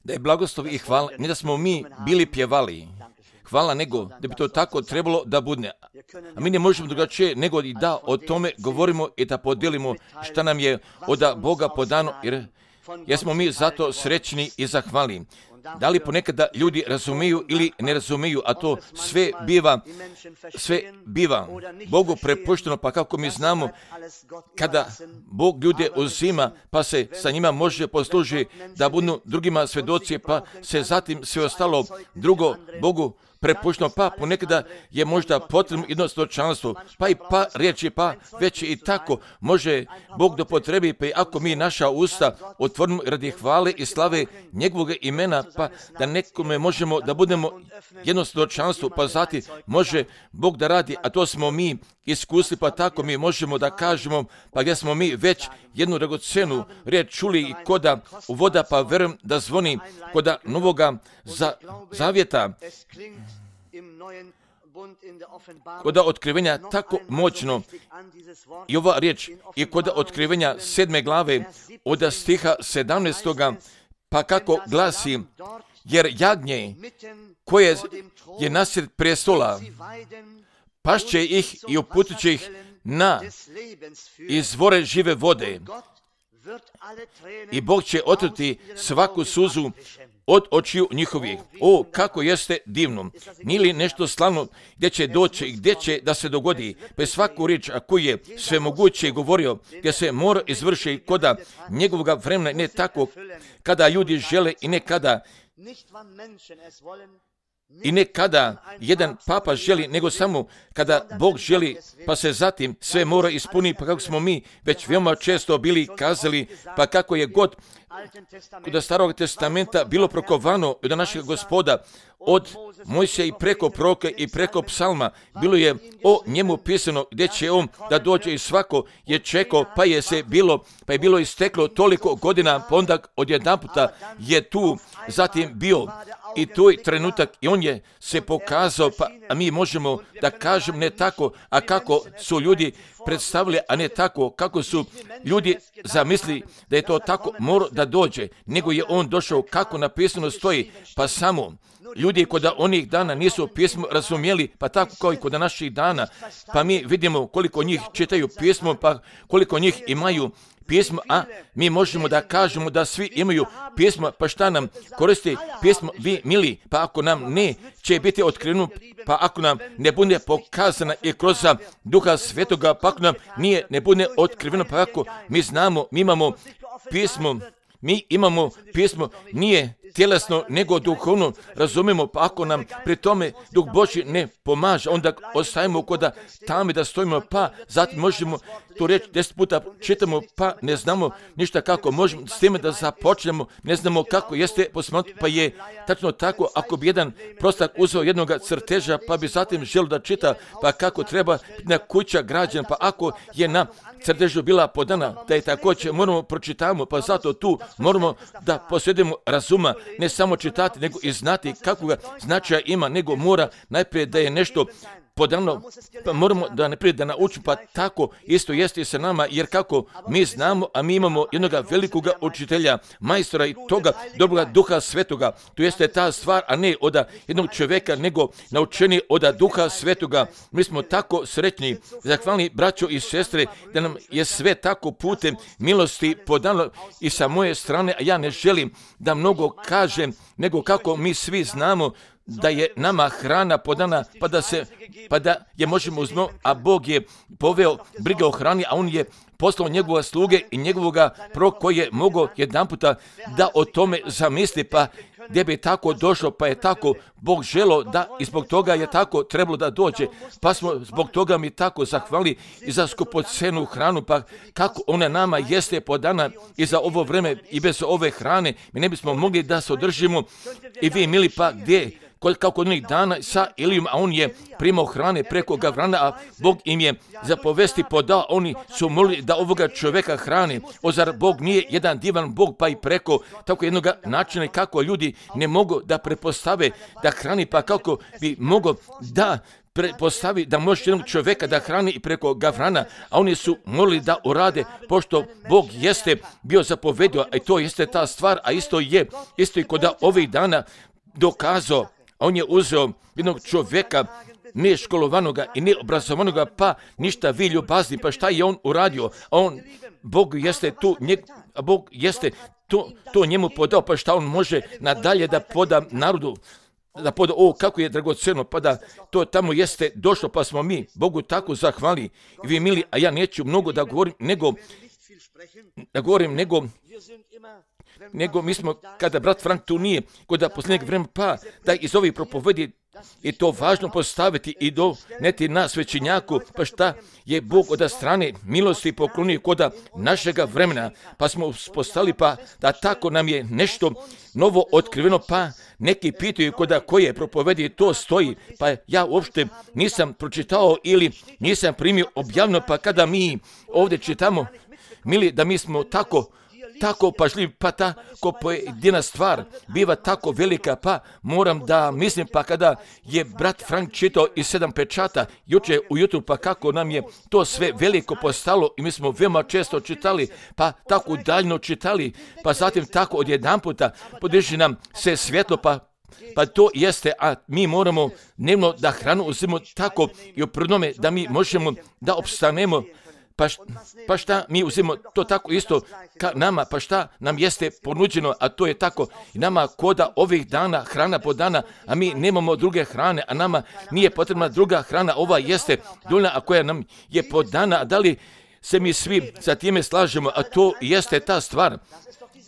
da je blagoslov i hvala, ne da smo mi bili pjevali hvala, nego da bi to tako trebalo da bude. A mi ne možemo drugačije nego i da o tome govorimo i da podijelimo šta nam je od Boga podano, jer smo mi zato srećni i zahvalni. Da li ponekada ljudi razumiju ili ne razumiju, a to sve biva Bogu prepušteno, pa kako mi znamo, kada Bog ljude uzima, pa se sa njima može poslužiti da budu drugima svedoci, pa se zatim sve ostalo drugo Bogu prepušteno, pa ponekada je možda potrebno jedno svjedočanstvo, pa riječi, pa već i tako može Bog da potrebi, pa i ako mi naša usta otvorimo radi hvale i slave njegovog imena, pa da nekome možemo da budemo jedno svjedočanstvo, pa zatim može Bog da radi, a to smo mi iskusili, pa tako mi možemo da kažemo, pa gdje smo mi već jednu dragocjenu riječ čuli i koda voda, pa verujem da zvoni koda novoga zavjeta, koda otkrivenja tako moćno. I ova riječ je koda otkrivenja 7. glave od stiha 17. pa kako glasi, jer jagnje koje je nasred prestola pašće ih i uputit će ih na izvore žive vode. I Bog će otrti svaku suzu od očiju njihovih. O, kako jeste divno. Nije li nešto slavno gdje će doći i gdje će da se dogodi? Pa svaku riječ, a koji je svemoguće govorio, gdje se mora izvršiti koda njegovoga vremena, ne tako kada ljudi žele i ne kada jedan papa želi, nego samo kada Bog želi, pa se zatim sve mora ispuniti, pa kako smo mi već veoma često bili kazali, pa kako je god kod Starog testamenta bilo prokovano od našeg Gospoda, od Mojsija i preko proroka i preko psalma, bilo je o njemu pisano gdje će on da dođe i svako je čekao, pa je bilo isteklo toliko godina, pa onda odjedanputa je tu zatim bio i tu je trenutak i on je se pokazao, pa a mi možemo da kažem ne tako, a kako su ljudi predstavili, a ne tako kako su ljudi zamislili da je to tako mora da dođe, nego je on došao kako napisano stoji, pa samo ljudi kod onih dana nisu pismo razumjeli, pa tako kao i kod naših dana, pa mi vidimo koliko njih čitaju pismo, pa koliko njih imaju pismo, a mi možemo da kažemo da svi imaju pismo, pa šta nam koristi pismo, vi mili, pa ako nam ne će biti otkriveno, pa ako nam ne bude pokazana i kroz Duha Svetoga, pa ako nam ne bude otkriveno, pa ako mi znamo, mi imamo pismo, nije tjelesno nego duhovno, razumijemo, pa ako nam pri tome Duh Božji ne pomaže, onda ostajemo kod tamo da stojimo, pa zatim možemo tu reći 10 puta čitamo, pa ne znamo ništa kako možemo s time da započnemo, ne znamo kako jeste posmatrati, pa je tačno tako, ako bi jedan prostak uzeo jednog crteža, pa bi zatim želio da čita, pa kako treba na kuća građana, pa ako je na crtežu bila podana, da je također moramo pročitamo, pa zato tu moramo da posjedimo razuma, ne samo čitati, nego i znati kakvog značaja ima, nego mora najprije da je nešto podano, pa moramo da najprije da naučimo, pa tako isto jeste i sa nama, jer kako mi znamo, a mi imamo jednog velikog učitelja, majstora i toga dobroga Duha Svetoga, to jeste ta stvar, a ne od jednog čovjeka, nego naučeni od Duha Svetoga. Mi smo tako sretni, zahvalni braćo i sestre, da nam je sve tako putem milosti podano i sa moje strane, a ja ne želim da mnogo kažem, nego kako mi svi znamo da je nama hrana podana, pa da je možemo uzmati, a Bog je poveo brige o hrani, a on je poslao njegova sluge i njegovoga proroka koji je mogao jedanputa da o tome zamisli, pa gdje bi tako došlo, pa je tako Bog želeo da i zbog toga je tako trebalo da dođe, pa smo zbog toga mi tako zahvali i za skupocenu hranu, pa kako ona nama jeste podana i za ovo vreme i bez ove hrane mi ne bismo mogli da se održimo. I vi mili, pa gdje kako onih dana sa Elijom, a on je primao hrane preko Gavrana, a Bog im je za povesti podao, oni su molili da ovoga čovjeka hrane. Zar Bog nije jedan divan Bog, pa i preko tako jednog načina kako ljudi ne mogu da prepostave da hrani, pa kako bi mogo da postavi da može jednog čovjeka da hrani i preko Gavrana, a oni su morali da urade, pošto Bog jeste bio zapovedio, a to jeste ta stvar, a isto i kod ovih dana dokazao, on je uzeo jednog čovjeka, ne školovanoga i ne obrazovanoga, pa ništa vi ljubazni, pa šta je on uradio? Bog jeste tu, Bog jeste to njemu podao, pa šta on može nadalje da poda narodu, da poda, kako je dragoceno, pa da to tamo jeste došlo, pa smo mi Bogu tako zahvali. I vi mili, a ja neću mnogo da govorim, nego mi smo, kada brat Frank tu nije, kod posljednjeg vremena, pa da iz ovih propovedi i to važno postaviti i doneti na svećenjaku, pa šta je Bog od strane milosti poklonio kod našega vremena, pa smo postali, pa da tako nam je nešto novo otkriveno, pa neki pitaju kod koje propovedi to stoji, pa ja uopšte nisam pročitao ili nisam primio objavljeno, pa kada mi ovdje čitamo, mili, da mi smo tako pažljiv, pa tako pojedina stvar biva tako velika, pa moram da mislim, pa kada je brat Frank čitao iz 7 pečata juče ujutru, pa kako nam je to sve veliko postalo i mi smo veoma često čitali, pa tako daljno čitali, pa zatim tako odjedanputa podiže nam se svjetlo, pa to jeste, a mi moramo dnevno da hranu uzimamo tako i uprnome da mi možemo da opstanemo. Pa šta mi uzimamo to tako isto ka nama, pa šta nam jeste ponuđeno, a to je tako i nama koda ovih dana, hrana po dana, a mi nemamo druge hrane, a nama nije potrebna druga hrana, ova jeste dovoljna, a koja nam je podana, a da li se mi svi sa time slažemo, a to jeste ta stvar,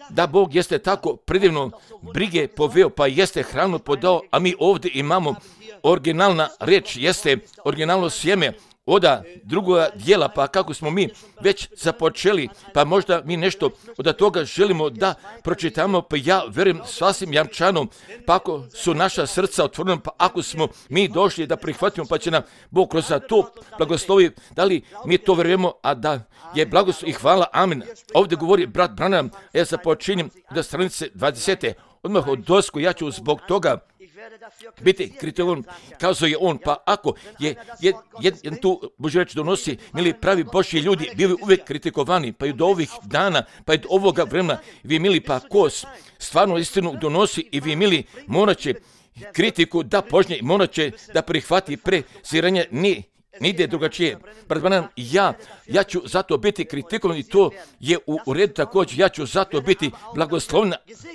da Bog jeste tako predivno brige poveo, pa jeste hranu podao, a mi ovdje imamo originalna reč, jeste originalno sjeme, oda drugoga dijela, pa kako smo mi već započeli, pa možda mi nešto od toga želimo da pročitamo, pa ja verujem sasvim jamčano, pa ako su naša srca otvorena, pa ako smo mi došli da prihvatimo, pa će nam Bog kroz to blagoslovi, da li mi to verujemo, a da je blagoslov i hvala, amen. Ovdje govori brat Branham, ja započinjem do stranice 20. Odmah od dosku, ja ću zbog toga biti kritičan, kazao je on, pa ako je jedan tu Božja reč donosi, mili pravi Božji ljudi, bili uvijek kritikovani, pa i do ovih dana, pa i do ovoga vremena, vi mili, pa ko stvarno istinu donosi i vi mili, morat će kritiku da požnje, morat će da prihvati preziranje, nigdje drugačije. Ja ću zato biti kritikovan i to je u redu također, ja ću zato biti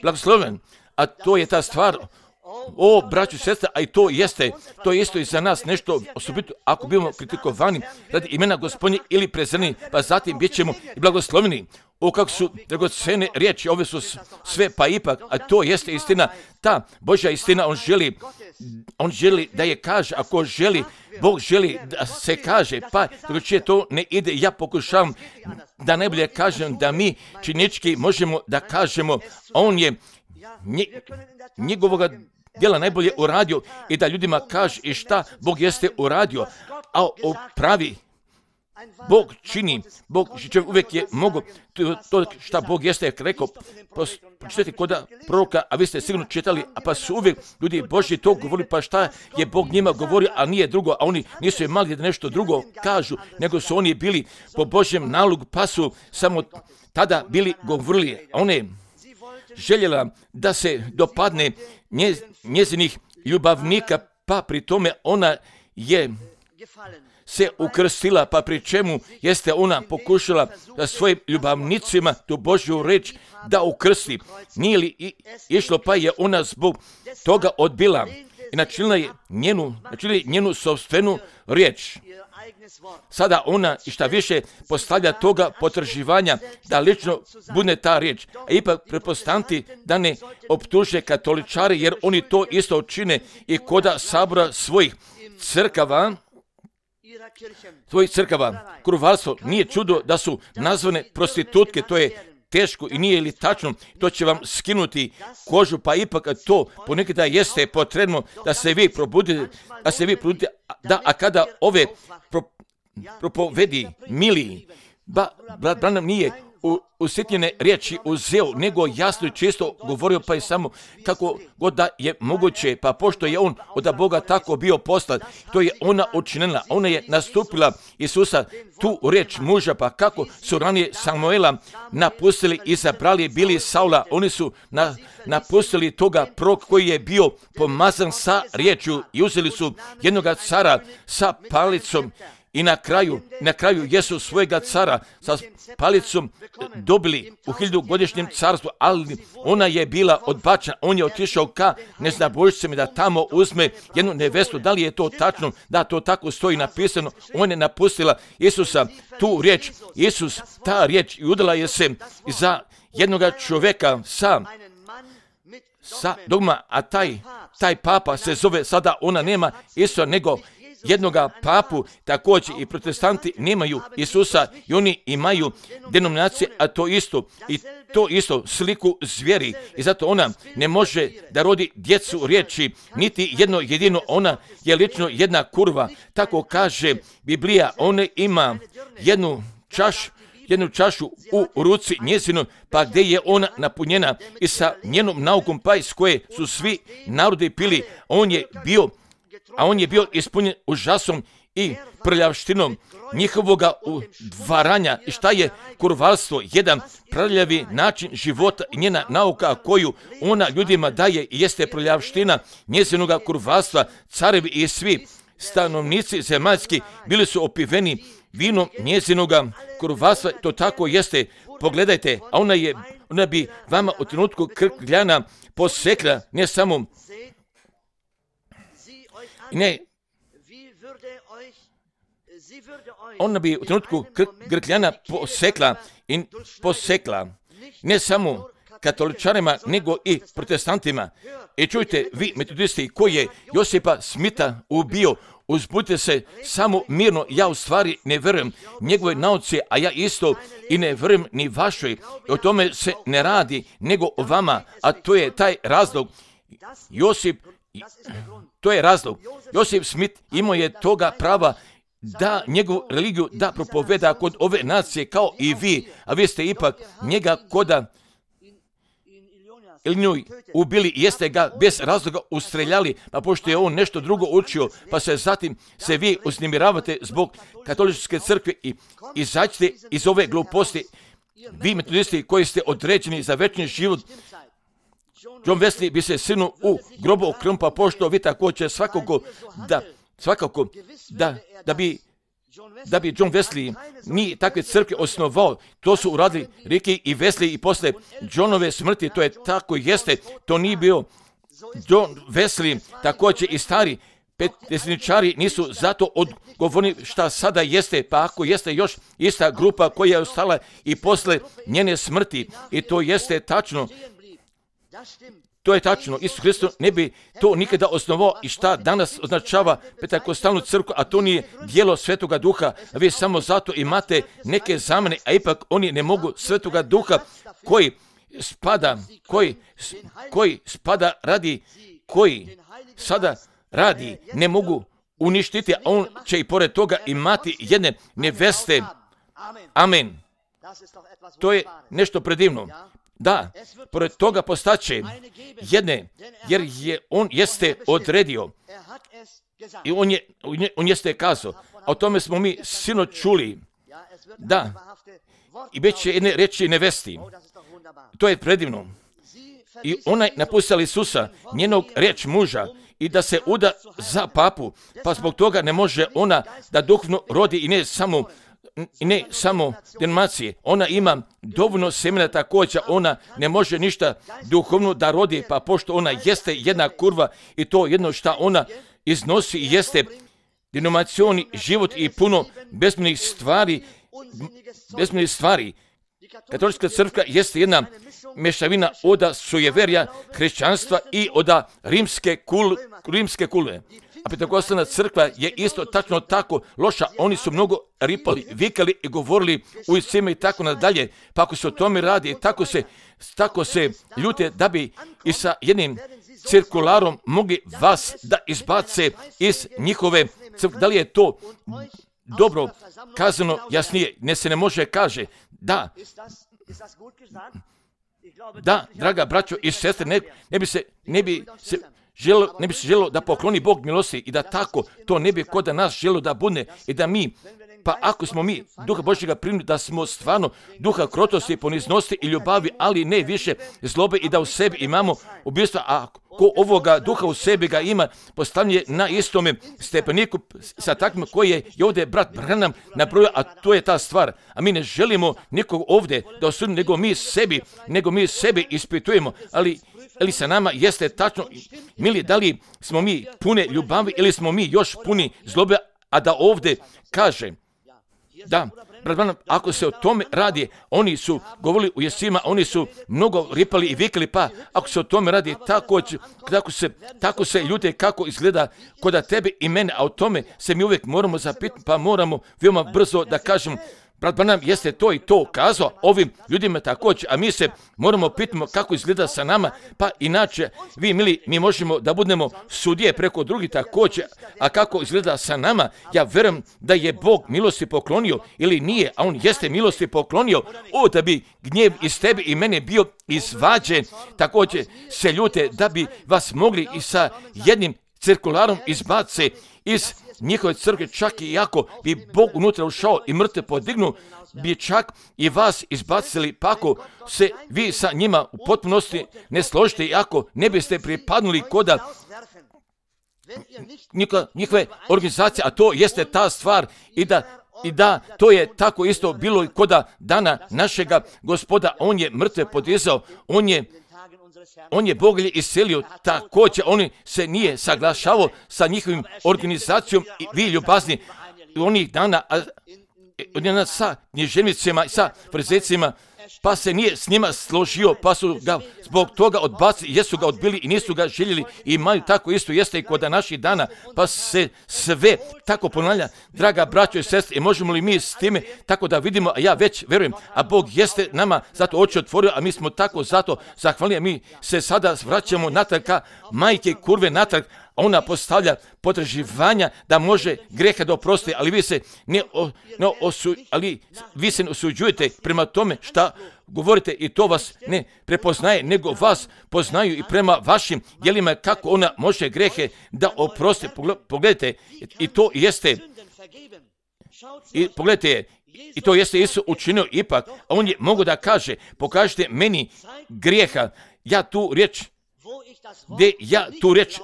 blagosloven, a to je ta stvar. Braćo i sestre, a i to isto i za nas nešto osobito, ako bimo kritikovani radi imena Gospodnje ili prezreni, pa zatim bit ćemo i blagosloveni. Kako su dragocene riječi, ove su sve, pa ipak, a to jeste istina, ta Božja istina, on želi da je kaže, ako želi, Bog želi da se kaže, pa drugačije to ne ide, ja pokušavam da najbolje kažem da mi činički možemo da kažemo, on je njegovoga djela najbolje uradio i da ljudima kaže i šta Bog jeste uradio, a pravi Bog čini, uvijek je mogo to šta Bog jeste rekao, pročitajte kod proroka, a vi ste sigurno čitali, a pa su uvijek ljudi Božji to govorili, pa šta je Bog njima govorio, a nije drugo, a oni nisu imali da nešto drugo kažu, nego su oni bili po Božjem nalogu, pa su samo tada bili govorili, a one željela da se dopadne njezinih ljubavnika, pa pri tome ona je se ukrstila, pa pri čemu jeste ona pokušala da svojim ljubavnicima tu Božju reč da ukrsti. Nije li išlo, pa je ona zbog toga odbila i načinila njenu sopstvenu riječ. Sada ona i šta više postavlja toga potraživanja da lično bude ta riječ. A ipak pretpostaviti da ne optuže katoličari, jer oni to isto čine i koda sabora svojih crkava, kurvarstvo. Nije čudo da su nazvane prostitutke, to je teško i nije li tačno, to će vam skinuti kožu, pa ipak to ponekada jeste potrebno da se vi probudite, a kada ove propovedi mili, brat Branham nije usitnjene riječi uzeo, nego jasno i čisto govorio, pa je samo kako god da je moguće, pa pošto je on od Boga tako bio poslat, to je ona učinila, ona je nastupila Isusa, tu riječ muža, pa kako su ranije Samuela napustili, izabrali, bili Saula, oni su napustili toga proroka koji je bio pomazan sa riječju i uzeli su jednoga cara sa palicom. I na kraju jesu svojega cara sa palicom dobili u 1000-godišnjem carstvu, ali ona je bila odbačena. On je otišao ka neznabožcima da tamo uzme jednu nevestu. Da li je to tačno? Da, to tako stoji napisano. Ona je napustila Isusa tu riječ. Isus, ta riječ, i udala je se za jednoga čovjeka sa dogma, a taj papa se zove, sada ona nema Isusa, nego jednoga papu. Također i protestanti nemaju Isusa i oni imaju denominacije, a to isto sliku zvijeri, i zato ona ne može da rodi djecu riječi, niti jedno jedino, ona je lično jedna kurva, tako kaže Biblija. Ona ima jednu čašu u ruci njezinu, pa gdje je ona napunjena i sa njenom naukom, pa iz koje su svi narodi pili. On je bio ispunjen užasom i prljavštinom njihovoga udvaranja. I šta je kurvarstvo? Jedan prljavi način života i njena nauka koju ona ljudima daje jeste prljavština njezinoga kurvarstva. Carevi i svi stanovnici zemaljski bili su opiveni vinom njezinoga kurvarstva. To tako jeste. Pogledajte, a ona bi vama u trenutku krkljana posekla, ne samo ona bi u trenutku grkljana posekla ne samo katoličarima, nego i protestantima. I čujte, vi metodisti koji je Josipa Smita ubio, uzbudite se samo mirno. Ja u stvari ne vjerujem njegove nauci, a ja isto i ne vjerujem ni vašoj. O tome se ne radi, nego o vama, a to je taj razlog. Josip Smith imao je toga prava da njegovu religiju da propoveda kod ove nacije kao i vi, a vi ste ipak njega koda Ilnjuj ubili, jeste ga bez razloga ustreljali, a pošto je on nešto drugo učio, pa se zatim se vi uznemiravate zbog katoličke crkve i izađite iz ove gluposti. Vi metodisti koji ste određeni za večni život, John Wesley bi se sinu u grobu okrmpa, pošto vi također svakako da bi John Wesley ni takve crkve osnovao. To su uradili Ricky i Wesley i posle Johnove smrti. To je tako jeste. To nije bio John Wesley, također i stari petdesničari nisu zato odgovorni šta sada jeste, pa ako jeste još ista grupa koja je ostala i posle njene smrti. I to jeste tačno. To je tačno. Isus Hristos ne bi to nikada osnovao. I šta danas označava Pentekostalnu crkvu, a to nije djelo Svetoga Duha. Vi samo zato imate neke zamene, a ipak oni ne mogu Svetoga Duha koji sada radi, ne mogu uništiti, a on će i pored toga imati jedne neveste. Amen. To je nešto predivno. Da, pored toga postaće jedne, jer on jeste odredio i on jeste kazao. A o tome smo mi sinoć čuli. Da, i već će jedne reći nevesti. To je predivno. I ona je napustila Isusa, njenog riječ muža, i da se uda za papu, pa zbog toga ne može ona da duhovno rodi i ne samo denominacije. Ona ima dovoljno semena također, ona ne može ništa duhovno da rodi, pa pošto ona jeste jedna kurva i to jedno što ona iznosi jeste denominacioni život i puno bezmjernih stvari. Katolička crkva jeste jedna mešavina od sujeverja hrišćanstva i od rimske kule. A Pentekostalna crkva je isto tačno tako loša. Oni su mnogo ripali, vikali i govorili u iscima i tako nadalje. Pa ako se o tome radi, tako se ljute da bi i sa jednim cirkularom mogli vas da izbace iz njihove crkve. Da li je to dobro kazano? Jasnije, ne se ne može kaže. Da, Da, draga braćo i sestre, ne bi se želo da pokloni Bog milosti i da tako to ne bi kod nas želo da bude i da mi, pa ako smo mi Duha Božjega primili, da smo stvarno duha krotosti, poniznosti i ljubavi, ali ne više zlobe i da u sebi imamo ubijstva, a ko ovoga duha u sebi ga ima, postavljen na istome stepeniku sa takvim koji je i ovdje brat Branham nabrojao, a to je ta stvar. A mi ne želimo nikog ovdje da osudimo, nego mi sebi ispitujemo, ali sa nama jeste tačno, mili, da li smo mi pune ljubavi ili smo mi još puni zlobe, a da ovdje kaže, da, brat Branham, ako se o tome radi, oni su govorili u jesima, oni su mnogo ripali i vikali, pa ako se o tome radi, tako se ljute kako izgleda kod tebe i mene, a o tome se mi uvijek moramo zapitati, pa moramo veoma brzo da kažemo, brat Branham jeste to i to kazao ovim ljudima također, a mi se moramo pitati kako izgleda sa nama, pa inače, vi mili, mi možemo da budemo sudije preko drugih također, a kako izgleda sa nama, ja vjerujem da je Bog milosti poklonio ili nije, a on jeste milosti poklonio, da bi gnjev iz tebe i mene bio izvađen, također se ljute da bi vas mogli i sa jednim cirkularom izbace iz njihove crkve, čak i ako bi Bog unutra ušao i mrtve podignu, bi čak i vas izbacili, pa ako se vi sa njima u potpunosti ne složite i ako ne biste pripadnuli koda njihove organizacije, a to jeste ta stvar i da to je tako isto bilo i koda dana našega Gospoda, on je mrtve podizao, on je Boglje iselio, također on se nije saglašavao sa njihovim organizacijom i vi ljubazni onih dana sa književnicima i sa frizecima, pa se nije s njima složio, pa su ga zbog toga odbacili, jesu ga odbili i nisu ga željeli i imaju tako isto jeste i kod naših dana, pa se sve tako ponavlja, draga braćo i sestre, i možemo li mi s time tako da vidimo, a ja već verujem, a Bog jeste nama zato oči otvorio, a mi smo tako zato zahvalni, a mi se sada vraćamo natrag ka majke kurve natrag, ona postavlja potraživanja da može grehe da oprosti, ali vi se ne osuđujete prema tome šta govorite i to vas ne prepoznaje, nego vas poznaju i prema vašim djelima kako ona može grehe da oprosti. Pogledajte, i to jeste, i pogledajte, i to jeste Isus učinio ipak, a on je mogu da kaže, pokažite meni grijeha, ja tu riječ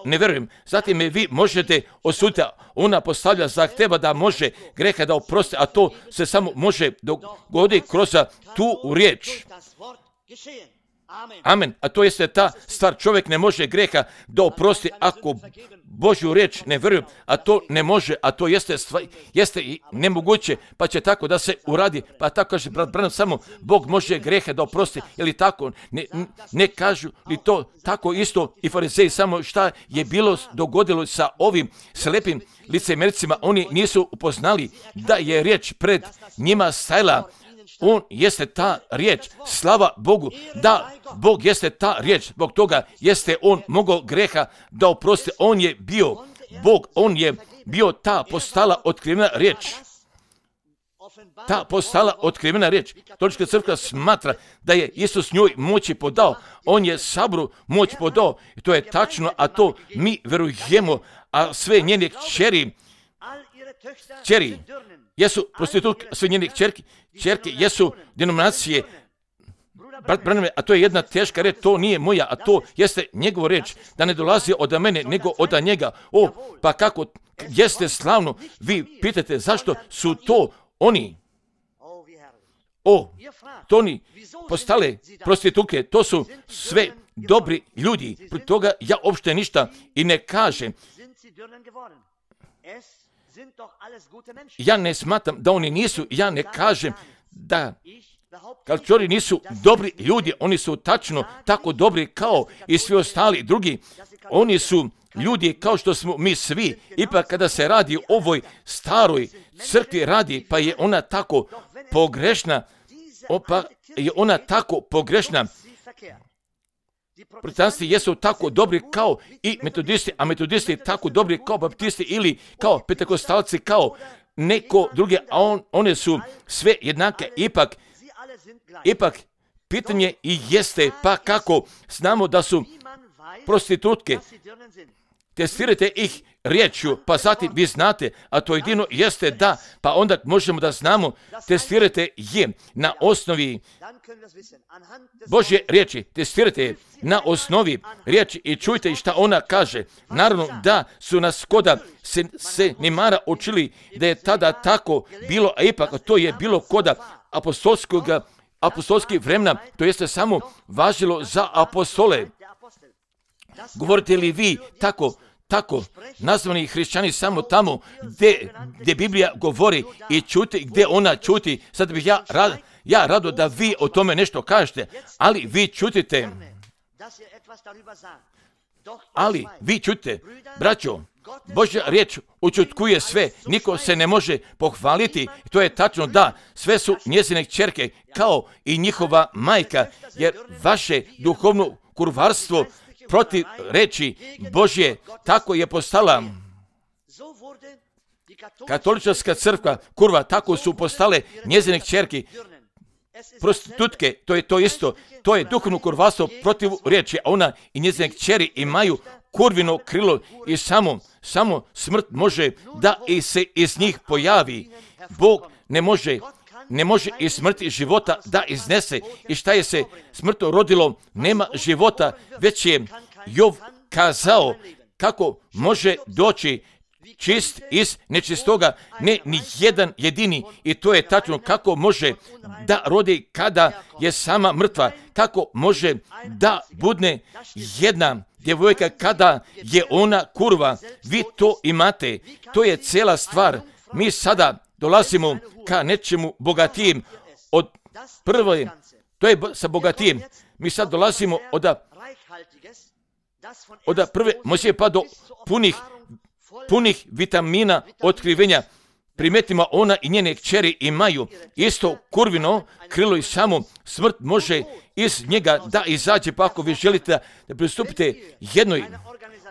ne vjerujem, zatim me vi možete osuditi, ona postavlja zahteva da može greha da oprosti, a to se samo može dogoditi kroz tu riječ. Amen. A to jeste ta stvar, čovjek ne može greha da oprosti ako Božju riječ ne vjeruje, a to ne može, a to jeste i nemoguće, pa će tako da se uradi, pa tako kaže brat Branham, samo Bog može grehe da oprosti, ili tako, ne kažu li to tako isto i farizeji, samo šta je dogodilo sa ovim slepim licemercima, oni nisu upoznali da je riječ pred njima stajala. On jeste ta riječ, slava Bogu, da Bog jeste ta riječ, zbog toga jeste on mogao greha da oprosti, on je bio Bog, on je bio ta postala otkrivena riječ. Ta postala otkrivena riječ. Katolička crkva smatra da je Isus njoj moći podao, on je sabru moć podao, i to je tačno, a to mi verujemo, a sve njene kćeri jesu prostitutke, sve njene kćerke jesu denominacije. Brat Branham, a to je jedna teška reč, to nije moja, a to jeste njegova reč, da ne dolazi od mene, nego od njega. Pa kako jeste slavno, vi pitate zašto su to oni. To oni postale prostitutke, to su sve dobri ljudi, pri toga ja uopšte ništa i ne kažem. Ja ne smatram da oni nisu, ja ne kažem da kalčori nisu dobri ljudi, oni su tačno tako dobri kao i svi ostali drugi. Oni su ljudi kao što smo mi svi, ipak kada se radi o ovoj staroj crkvi radi, pa je ona tako pogrešna, Protestanti jesu tako dobri kao i metodisti, a metodisti tako dobri kao baptisti ili kao pentekostalci, kao neko druge, a one su sve jednake, ipak pitanje i jeste, pa kako znamo da su prostitutke? Testirajte ih riječju, pa zatim vi znate, a to jedino jeste da, pa onda možemo da znamo, testirajte je na osnovi Božje riječi, testirajte je na osnovi riječi i čujte šta ona kaže. Naravno da su nas koda se Nimara učili da je tada tako bilo, a ipak to je bilo koda apostolskih vremena, to jeste samo važilo za apostole. Govorite li vi tako nazvani hrišćani samo tamo gdje Biblija govori i čuti, gdje ona čuti? Sad bih ja rado da vi o tome nešto kažete, ali vi čutite. Braćo, Božja riječ učutkuje sve, niko se ne može pohvaliti. To je tačno da, sve su njezine kćerke kao i njihova majka, jer vaše duhovno kurvarstvo protiv reči Božje tako je postala katolička crkva kurva, tako su postale njezine kćerke. Prostitutke, to je to isto, to je duhovno kurvarstvo protiv riječi, a ona i njezine kćeri imaju kurvino krilo i samo smrt može da i se iz njih pojavi. Bog ne može iz smrti života da iznese. I šta je se smrto rodilo? Nema života, već je Jov kazao kako može doći čist iz nečistoga, ne ni jedan jedini. I to je tačno, kako može da rodi kada je sama mrtva, kako može da budne jedna djevojka kada je ona kurva. Vi to imate, to je cijela stvar. Mi sada dolazimo ka nečemu bogatijem od prve, to je sa bogatijem. Mi sad dolazimo od prve Mojsije pa do punih vitamina otkrivenja. Primetimo, ona i njene kćeri imaju isto kurvino krilo i samo smrt može iz njega da izađe. Pa ako vi želite da pristupite jednoj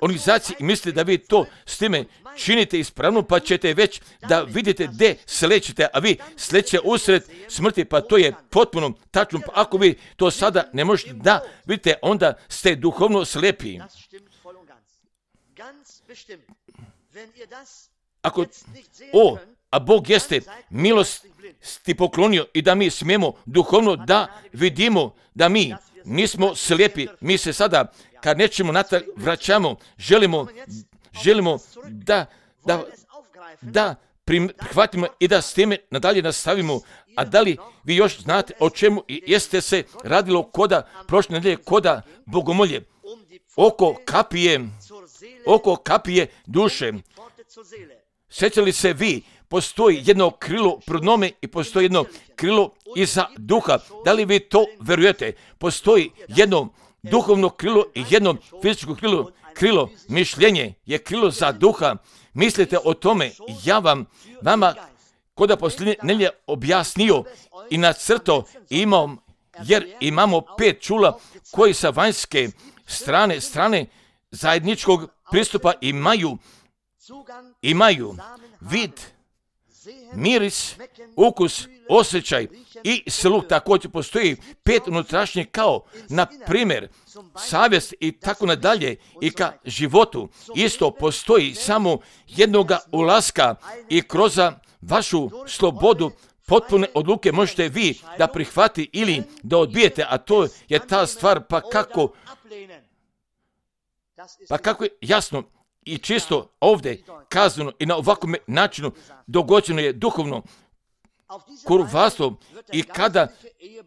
organizaciji i mislite da vi to s time činite ispravno, pa ćete već da vidite gdje slećete, a vi sleće usred smrti, pa to je potpuno tačno. Pa ako vi to sada ne možete da vidite, onda ste duhovno slijepi. A Bog jeste milosti poklonio i da mi smijemo duhovno da vidimo da mi nismo slijepi. Mi se sada, kad nećemo natrag vraćamo, želimo da prihvatimo i da s time nadalje nastavimo. A da li vi još znate o čemu jeste se radilo prošle nedelje koda bogomolje? Oko kapije duše. Sjećali se vi, postoji jedno krilo prodnome i postoji jedno krilo iza duha. Da li vi to verujete? Postoji jedno duhovno krilo i jedno fizičko krilo. Mišljenje je krilo za duha. Mislite o tome, ja vama koda posljednje nelje objasnio i nacrto jer imamo 5 čula koji sa vanjske strane zajedničkog pristupa imaju vid, miris, ukus, osjećaj i sluh. Također postoji 5 unutrašnjih kao, na primjer, savjest i tako nadalje i ka životu. Isto postoji samo jednoga ulaska i kroz vašu slobodu potpune odluke možete vi da prihvati ili da odbijete, a to je ta stvar, pa kako je jasno i čisto ovdje kazano i na ovakvom načinu dogođeno je duhovno kurvarstvo. I kada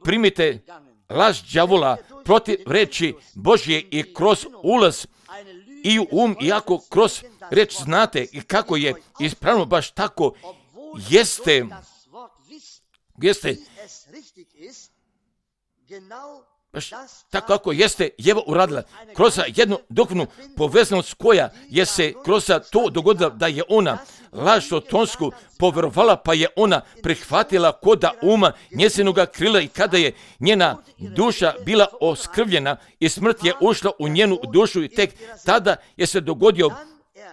primite laž đavola protiv reči Božje i kroz ulaz i u iako kroz reč znate i kako je ispravno, baš tako jeste baš tako kako jeste Jeva uradila, kroz jednu duhovnu povezanost koja je se kroz to dogodila da je ona laž sotonsku povjerovala, pa je ona prihvatila koda uma njezinoga krila i kada je njena duša bila oskrvljena i smrt je ušla u njenu dušu i tek tada je se dogodio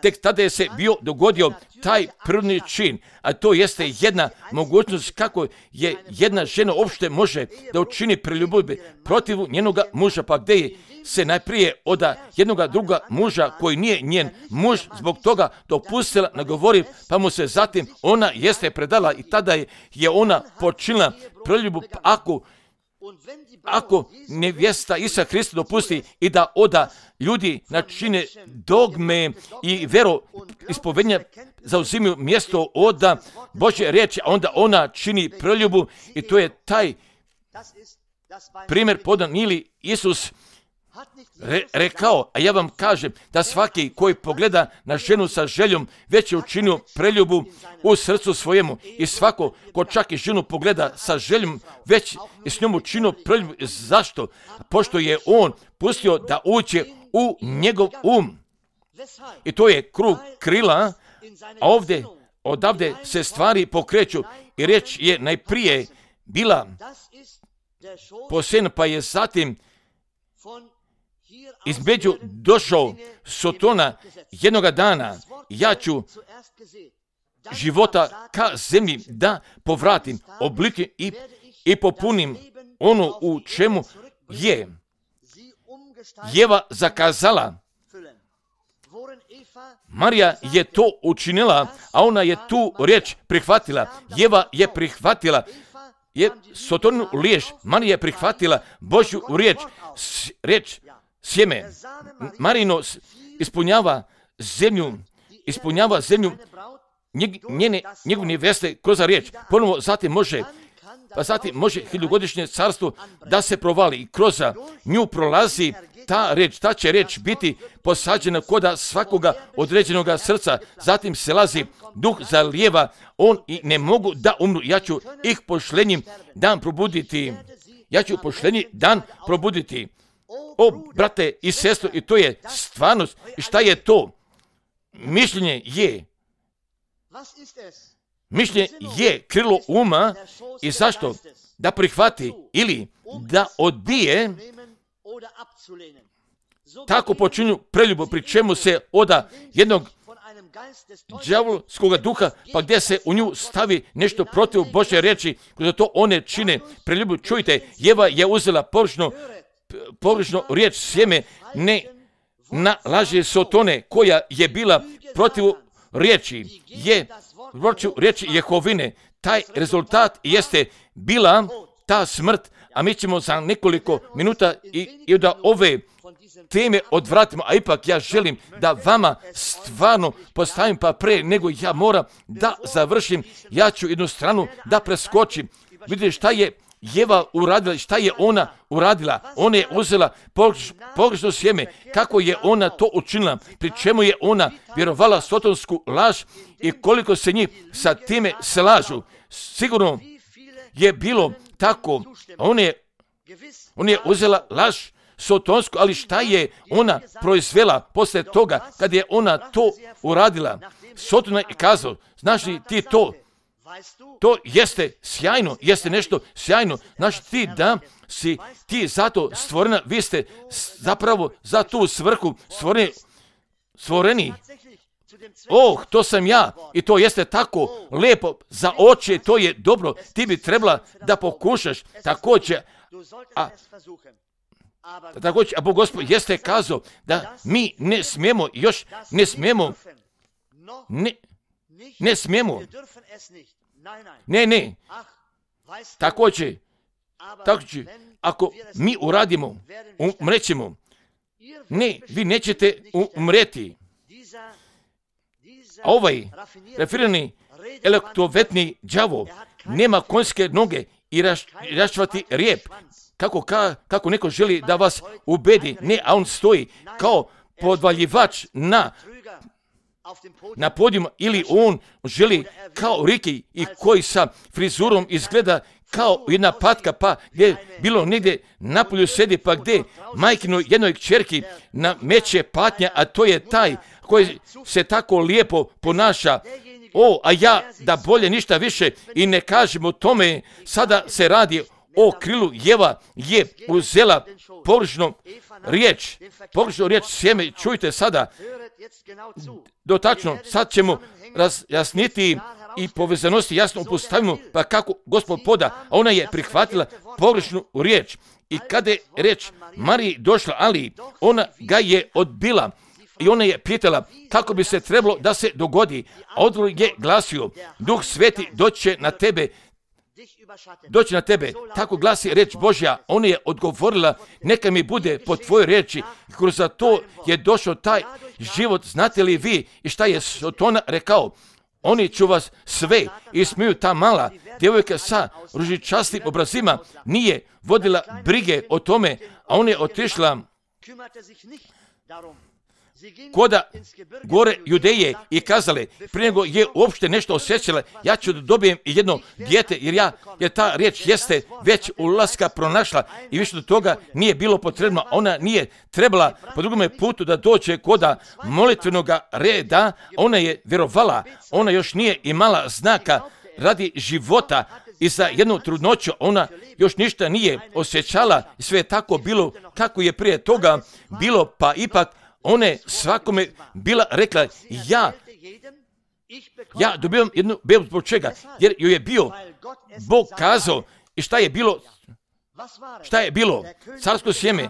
tek tada je se bio dogodio taj prirodni čin, a to jeste jedna mogućnost kako je jedna žena uopšte može da učini preljubu protiv njenoga muža, pa gdje je se najprije od jednoga druga muža koji nije njen muž zbog toga dopustila nagovori, pa mu se zatim ona jeste predala i tada je ona počinila preljubu. Ako nevjesta Isusa Hrista dopusti i da oda ljudi načine dogme i vero ispovednja zauzimaju mjesto od Božje riječi, a onda ona čini preljubu i to je taj primjer podan ili Isus rekao, a ja vam kažem da svaki koji pogleda na ženu sa željom već je učinio preljubu u srcu svojemu i svako ko čak i ženu pogleda sa željom već je s njom učinio preljubu. Zašto? Pošto je on pustio da uđe u njegov i to je krug krila, a odavde se stvari pokreću i riječ je najprije bila posejana, pa je zatim između došao Sotona jednoga dana. Ja ću života ka zemlji da povratim oblike i popunim ono u čemu je Jeva zakazala. Marija je to učinila, a ona je tu riječ prihvatila. Jeva je prihvatila Sotonu riječ, Marija je prihvatila Božju riječ sjeme. Marino ispunjava zemlju njegove neveste kroz riječ. Ponovo zatim može hiljugodišnje carstvo da se provali i kroz nju prolazi ta će riječ biti posađena koda svakoga određenog srca. Zatim se lazi duh zalijeva, on i ne mogu da umru. Ja ću ih pošlenjim dan probuditi. O, brate i sestro, i to je stvarnost. I šta je to? Mišljenje je krilo uma i zašto? Da prihvati ili da odbije. Tako počinju preljubu, pri čemu se oda jednog đavolskoga duha, pa gdje se u nju stavi nešto protiv Božje riječi, kroz to one čine preljubu. Čujte, Jeva je uzela pogrešno riječ sjeme, ne na laži Sotone koja je bila protiv riječi Jehovine. Taj rezultat jeste bila ta smrt, a mi ćemo za nekoliko minuta i da ove teme odvratimo, a ipak ja želim da vama stvarno postavim, pa pre nego ja moram da završim, ja ću jednu stranu da preskočim. Vidite šta je Jeva uradila, šta je ona uradila. Ona je uzela pogrešno sjeme. Kako je ona to učinila? Pri čemu je ona vjerovala sotonsku laž i koliko se njih sa time slažu. Sigurno je bilo tako. Ona je uzela laž sotonsku, ali šta je ona proizvela poslije toga kad je ona to uradila? Sotona je kazao, znaš li ti to? To jeste sjajno, jeste nešto sjajno. Znaš ti da si ti zato stvorena, vi ste zapravo za tu svrhu stvoreni. To sam ja i to jeste tako lijepo za oči, to je dobro. Ti bi trebala da pokušaš također. A Bog Gospod jeste kazao da mi ne smijemo. Ne. Također, ako mi uradimo, umrećemo. Ne, vi nećete umreti. A ovaj rafinirani elektrovetni đavo nema konjske noge i raščvati rijep. Kako neko želi da vas ubedi. Ne, a on stoji kao podvaljivač na podijumu, ili on želi kao Riki i koji sa frizurom izgleda kao jedna patka, pa gdje bilo negdje napolju sedi, pa gdje majkino jednoj kćerki nameće patnja, a to je taj koji se tako lijepo ponaša. A ja da bolje ništa više i ne kažem o tome, sada se radi o krilu. Jeva je uzela pogrešnu riječ sjeme. Čujte sada, dotačno, sad ćemo razjasniti i povezanosti jasno upostavimo, pa kako Gospod poda, a ona je prihvatila pogrešnu riječ. I kada je riječ Mariji došla, ali ona ga je odbila i ona je pitala kako bi se trebalo da se dogodi. A odgovor je glasio, Duh Sveti doći na tebe, tako glasi reč Božja. Ona je odgovorila, neka mi bude po tvojoj reči. Kroz to je došao taj život. Znate li vi i šta je Sotona rekao? Oni ću vas sve ismiju. Ta mala djevojka sa ružičastim obrazima nije vodila brige o tome, a ona je otišla koda gore Judeje i kazale, prije nego je uopšte nešto osjećala, ja ću da dobijem jedno dijete, jer ta riječ jeste već ulaska pronašla i više do toga nije bilo potrebno. Ona nije trebala po drugome putu da dođe koda molitvenog reda, ona je vjerovala, ona još nije imala znaka radi života i za jednu trudnoću ona još ništa nije osjećala i sve je tako bilo kako je prije toga bilo, pa ipak ona je svakome bila rekla, ja dobivam jednu bebu. Zbog čega? Jer joj je bio Bog kazao. I šta je bilo? Carsko sjeme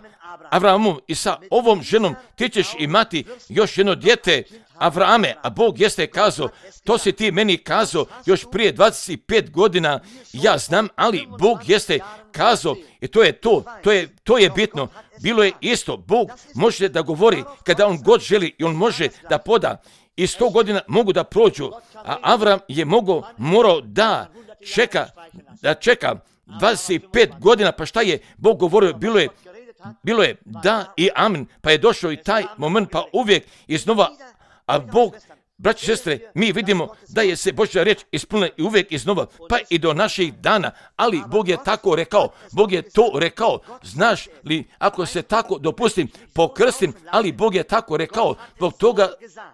Avraamom i sa ovom ženom ti ćeš imati još jedno dijete Avrame, a Bog jeste kazao, to si ti meni kazao još prije 25 godina, ja znam, ali Bog jeste kazao i to je bitno. Bilo je isto, Bog može da govori kada on god želi i on može da poda. I 100 godina mogu da prođu, a Avram je morao da čeka 25 godina, pa šta je Bog govorio, bilo je da i amen, pa je došao i taj moment, pa uvijek iznova, a Bog, braći i sestre, mi vidimo da je se Božja riječ ispunila i uvijek iznova, pa i do naših dana, ali Bog je tako rekao, Bog je to rekao, znaš li, ako se tako dopustim, pokrstim, ali Bog je tako rekao,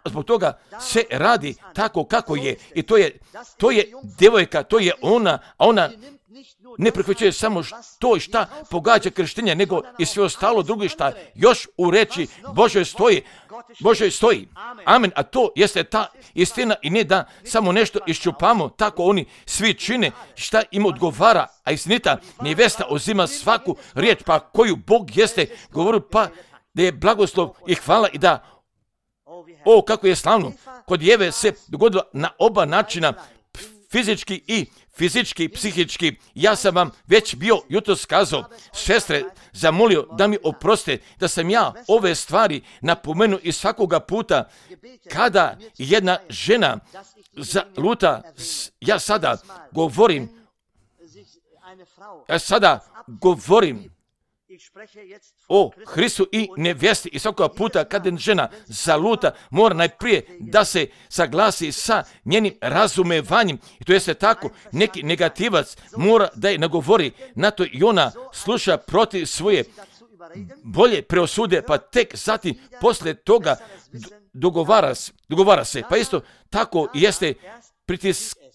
zbog toga se radi tako kako je, i to je djevojka, to je ona, a ona ne prihvaćaju samo to šta pogađa krštenje, nego i sve ostalo drugo šta još u reči Božoj stoji. Amen. A to jeste ta istina i ne da samo nešto iščupamo, tako oni svi čine šta im odgovara, a istinita nevesta uzima svaku riječ, pa koju Bog jeste govorio, pa da je blagoslov i hvala i da, kako je slavno, kod Jeve se dogodilo na oba načina, fizički i psihički. Ja sam vam već bio jutros kazao, sestre, zamolio da mi oproste da sam ja ove stvari napomenuo i svakoga puta kada jedna žena zaluta, ja sada govorim o Hristu i nevjesti i svakoga puta kada žena zaluta mora najprije da se saglasi sa njenim razumevanjem i to jeste tako, neki negativac mora da je nagovori na to i ona sluša protiv svoje bolje preosude, pa tek zatim poslije toga dogovara se. Pa isto tako jeste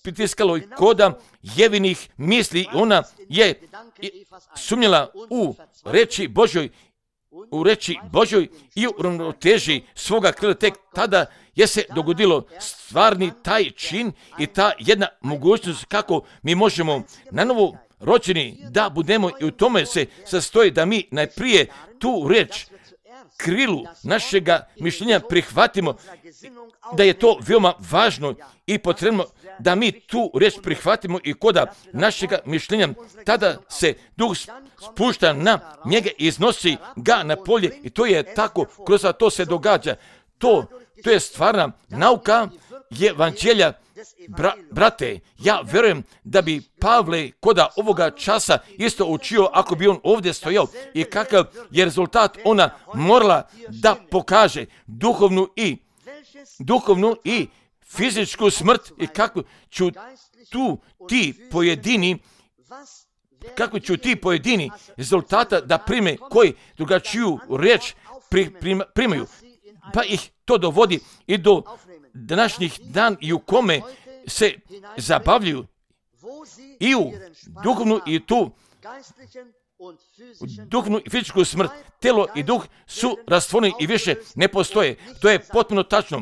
pritiskalo i koda Jevinih misli, ona je sumnjala u reči Božoj i u ravnoteži svoga krila. Tek tada je se dogodilo stvarni taj čin i ta jedna mogućnost kako mi možemo na novo rođeni da budemo, i u tome se sastoji da mi najprije tu reč krilu našega mišljenja prihvatimo, da je to veoma važno i potrebno da mi tu reč prihvatimo i koda našega mišljenja, tada se Duh spušta na njega i iznosi ga na polje i to je tako, kroz to se događa. To je stvarna nauka evanđelja. Brate, ja vjerujem da bi Pavle koda ovoga časa isto učio ako bi on ovdje stojao i kakav je rezultat ona morala da pokaže duhovnu i fizičku smrt i kako ću ti pojedini rezultata da prime koji drugačiju riječ primaju. Pa ih to dovodi i do današnjih dan i u kome se zabavljaju i u duhovnu i tu duhnu i fizičku smrt. Telo i duh su rastvojeni i više ne postoje. To je potpuno tačno.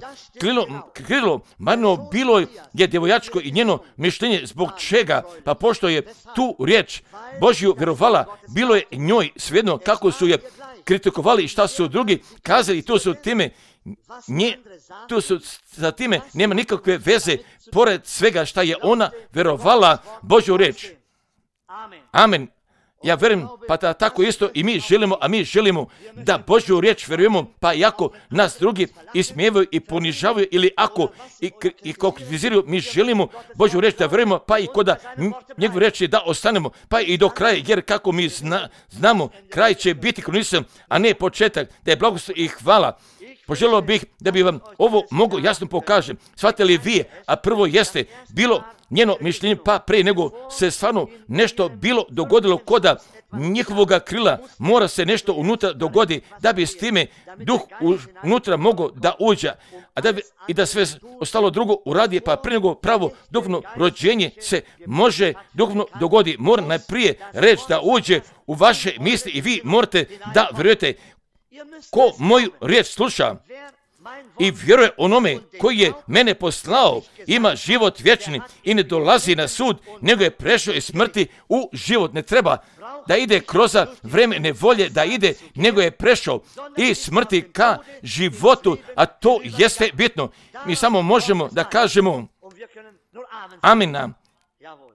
Krilo Marino bilo je djevojačko i njeno mišljenje zbog čega, pa pošto je tu riječ Božju vjerovala, bilo je njoj svejedno kako su je kritikovali i šta su drugi kazali i to su time za time nema nikakve veze pored svega šta je ona vjerovala Božju riječ. Amen. Ja vjerujem, pa da tako isto i mi želimo, a mi želimo da Božju riječ vjerujemo, pa iako nas drugi ismijevaju i ponižavaju ili ako i kritiziraju, mi želimo Božju riječ da vjerujemo, pa i kod njegovu riječ da ostanemo, pa i do kraja, jer kako mi znamo, kraj će biti kronisan, a ne početak, da je blagoslov i hvala. Poželio bih da bi vam ovo mogo jasno pokažem. Shvatili vi, a prvo jeste bilo njeno mišljenje, pa prije nego se stvarno nešto bilo dogodilo koda njihovoga krila, mora se nešto unutra dogodi da bi s time duh unutra mogao da uđe, i da sve ostalo drugo uradi, pa prije nego pravo duhovno rođenje se može duhovno dogodi. Mora najprije reći da uđe u vaše misli i vi morate da vjerujete. Ko moju riječ sluša i vjeruje onome koji je mene poslao, ima život vječni i ne dolazi na sud, nego je prešao iz smrti u život. Ne treba da ide kroz vreme nevolje, da ide, nego je prešao iz smrti ka životu, a to jeste bitno. Mi samo možemo da kažemo amen.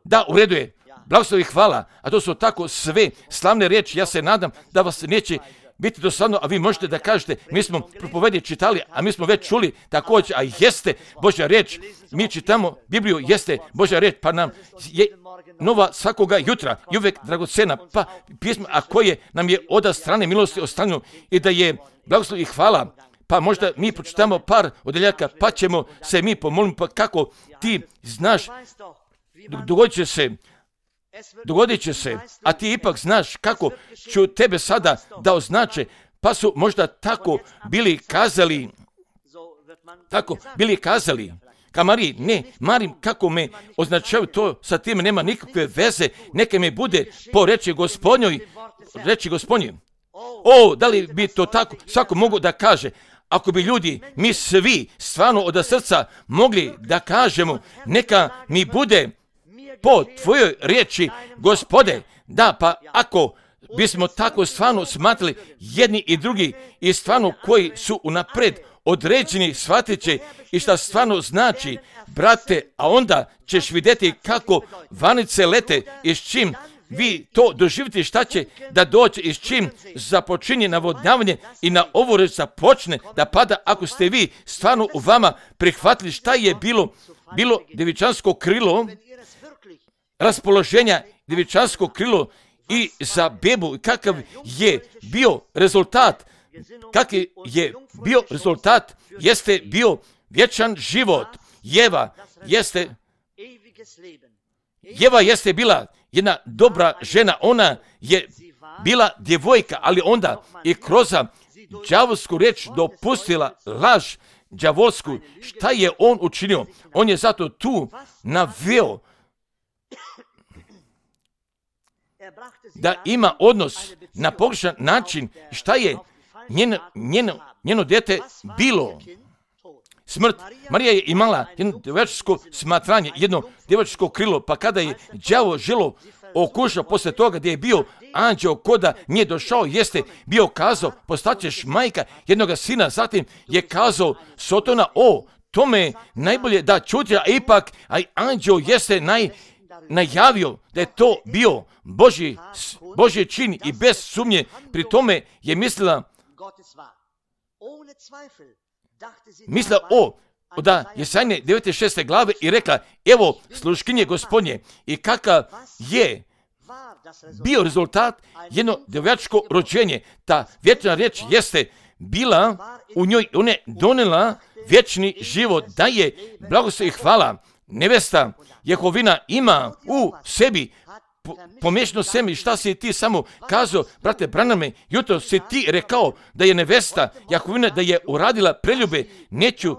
Da, u redu je. Blagoslov i hvala, a to su tako sve slavne riječi. Ja se nadam da vas neće biti dosadno, a vi možete da kažete, mi smo propovedje čitali, a mi smo već čuli također, a jeste Božja riječ. Mi čitamo Bibliju, jeste Božja riječ, pa nam je nova svakoga jutra i uvijek dragocena, pa pismo, a koje nam je od strane milosti ostavljeno i da je blagoslov i hvala. Pa možda mi pročitamo par odeljaka, pa ćemo se mi pomoliti, pa kako ti znaš, dogodit će se, a ti ipak znaš kako ću tebe sada da označe, pa su možda tako bili kazali, ka Mariji, ne, Marim, kako me označavaju, to sa tim nema nikakve veze, neka me bude po reći Gospodnjoj. O, da li bi to tako svako mogu da kaže? Ako bi ljudi, mi svi, stvarno od srca mogli da kažemo, neka mi bude po tvojoj riječi, Gospode, da, pa ako bismo tako stvarno smatrali jedni i drugi i stvarno koji su unapred određeni, shvatit će i šta stvarno znači, brate, a onda ćeš vidjeti kako vanice lete i s čim vi to doživite, šta će da dođe i s čim započinje navodnjavanje i na ovu reč započne da pada, ako ste vi stvarno u vama prihvatili šta je bilo djevičansko krilo, raspoloženja djevičansko krilo i za bebu, kakav je bio rezultat, jeste bio vječan život. Jeva jeste bila jedna dobra žena, ona je bila djevojka, ali onda i kroz đavolsku riječ dopustila laž đavolsku. Šta je on učinio? On je zato tu naveo da ima odnos na pogrešan način. Šta je njeno dijete bilo? Smrt. Marija je imala jedno djevojačko smatranje, jedno djevojačko krilo, pa kada je đavo želo okušao posle toga gdje je bio anđeo koda nije došao, jeste bio kazao, postaćeš majka jednoga sina, zatim je kazao Sotona, tome je najbolje da čuti, a ipak anđeo jeste najavio da je to bio Božji čin i bez sumnje, pri tome je mislila da Jesajne 9.6. glave i rekla, evo sluškinje Gospodnje, i kakav je bio rezultat jedno djevojačko rođenje. Ta vječna riječ jeste bila u njoj, ona je donela vječni život, da je blagoslov i hvala. Nevesta Jehovina ima u sebi pomiješano semi. Šta si ti samo kazao, brate Braname, jutro si ti rekao da je nevesta Jehovina, da je uradila preljube. Neću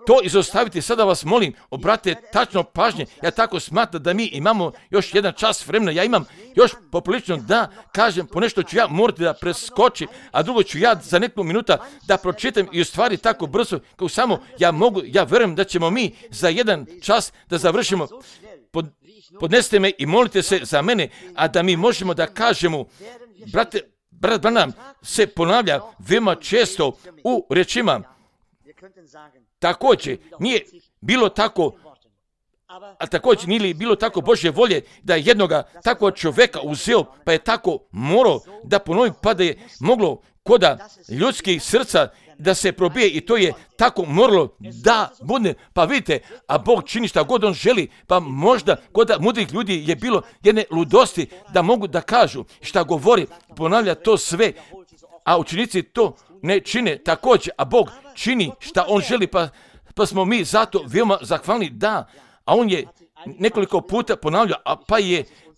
to izostaviti. Sada vas molim, obrate tačno pažnje. Ja tako smatram da mi imamo još jedan čas vremena. Ja imam još poprilično da kažem, ponešto ću ja morati da preskočim, a drugo ću ja za nekoliko minuta da pročitam i u stvari tako brzo, kao samo ja mogu, ja verujem da ćemo mi za jedan čas da završimo. Podnesite me i molite se za mene, a da mi možemo da kažemo, brat Branham se ponavlja veoma često u rečima. Također nije bilo tako, a također nije bilo tako Božje volje da je jednoga takvog čovjeka uzeo, pa je tako morao da ponovi, pa da je moglo koda ljudskih srca da se probije i to je tako moralo da bude. Pa vidite, a Bog čini šta god on želi, pa možda kod mudrih ljudi je bilo jedne ludosti da mogu da kažu šta govori, ponavlja to sve, a učenici to ne čine također, a Bog čini šta on želi, pa smo mi zato veoma zahvalni da, a on je nekoliko puta ponavljao,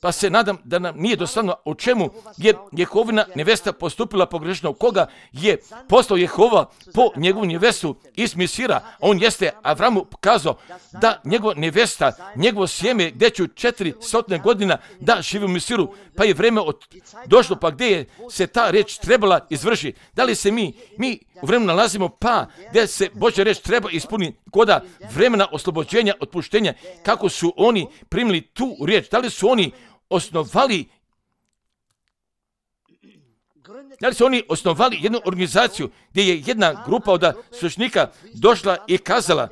pa se nadam da nam nije dosadno o čemu je Jehovina nevesta postupila pogrešno, koga je poslao Jehova po njegovu nevestu iz Misira. On jeste Avramu kazao da njegova nevesta, njegovo sjeme gdje će 400 godina da živi u Misiru, pa je vreme došlo, pa gdje je se ta reč trebala izvršiti. Da li se mi u vremenu nalazimo, pa gdje se Božja reč treba ispuniti koda vremena oslobođenja, otpuštenja, kako su oni primili tu riječ, da li su oni osnovali jednu organizaciju gdje je jedna grupa od svećenika došla i kazala,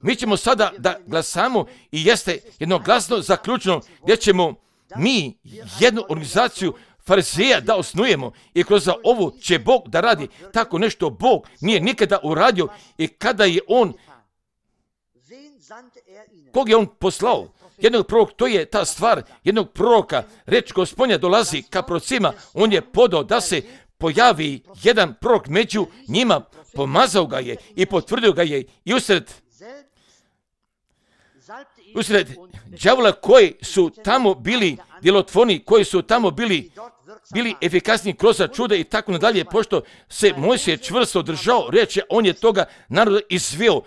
mi ćemo sada da glasamo i jeste jednoglasno zaključeno gdje ćemo mi jednu organizaciju farizeja da osnujemo i kroz ovu će Bog da radi. Tako nešto Bog nije nikada uradio i kada je on, kog je on poslao? Jednog proroka, to je ta stvar jednog proroka. Reč Gospodnja dolazi ka prorocima, on je podao da se pojavi jedan prorok među njima, pomazao ga je i potvrdio ga je i usred đavola koji su tamo bili djelotvorni, koji su tamo bili efikasni kroz čuda i tako nadalje, pošto se Mojsije čvrsto držao reče, on je toga naroda izveo.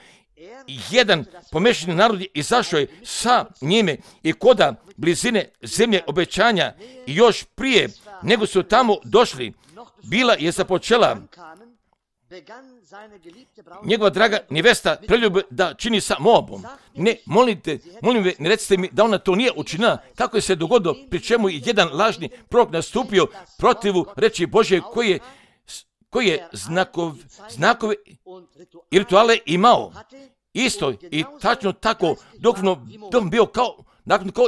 Jedan pomešani narod je izašao je sa njime i koda blizine zemlje obećanja i još prije nego su tamo došli, bila je započela njegova draga nevesta preljube da čini sa Moabom. Molim me, ne recite mi da ona to nije učinila, kako je se dogodilo, pri čemu je jedan lažni prorok nastupio protivu reči Božje koji je znakove i rituale imao. Isto i tačno tako dok bio kao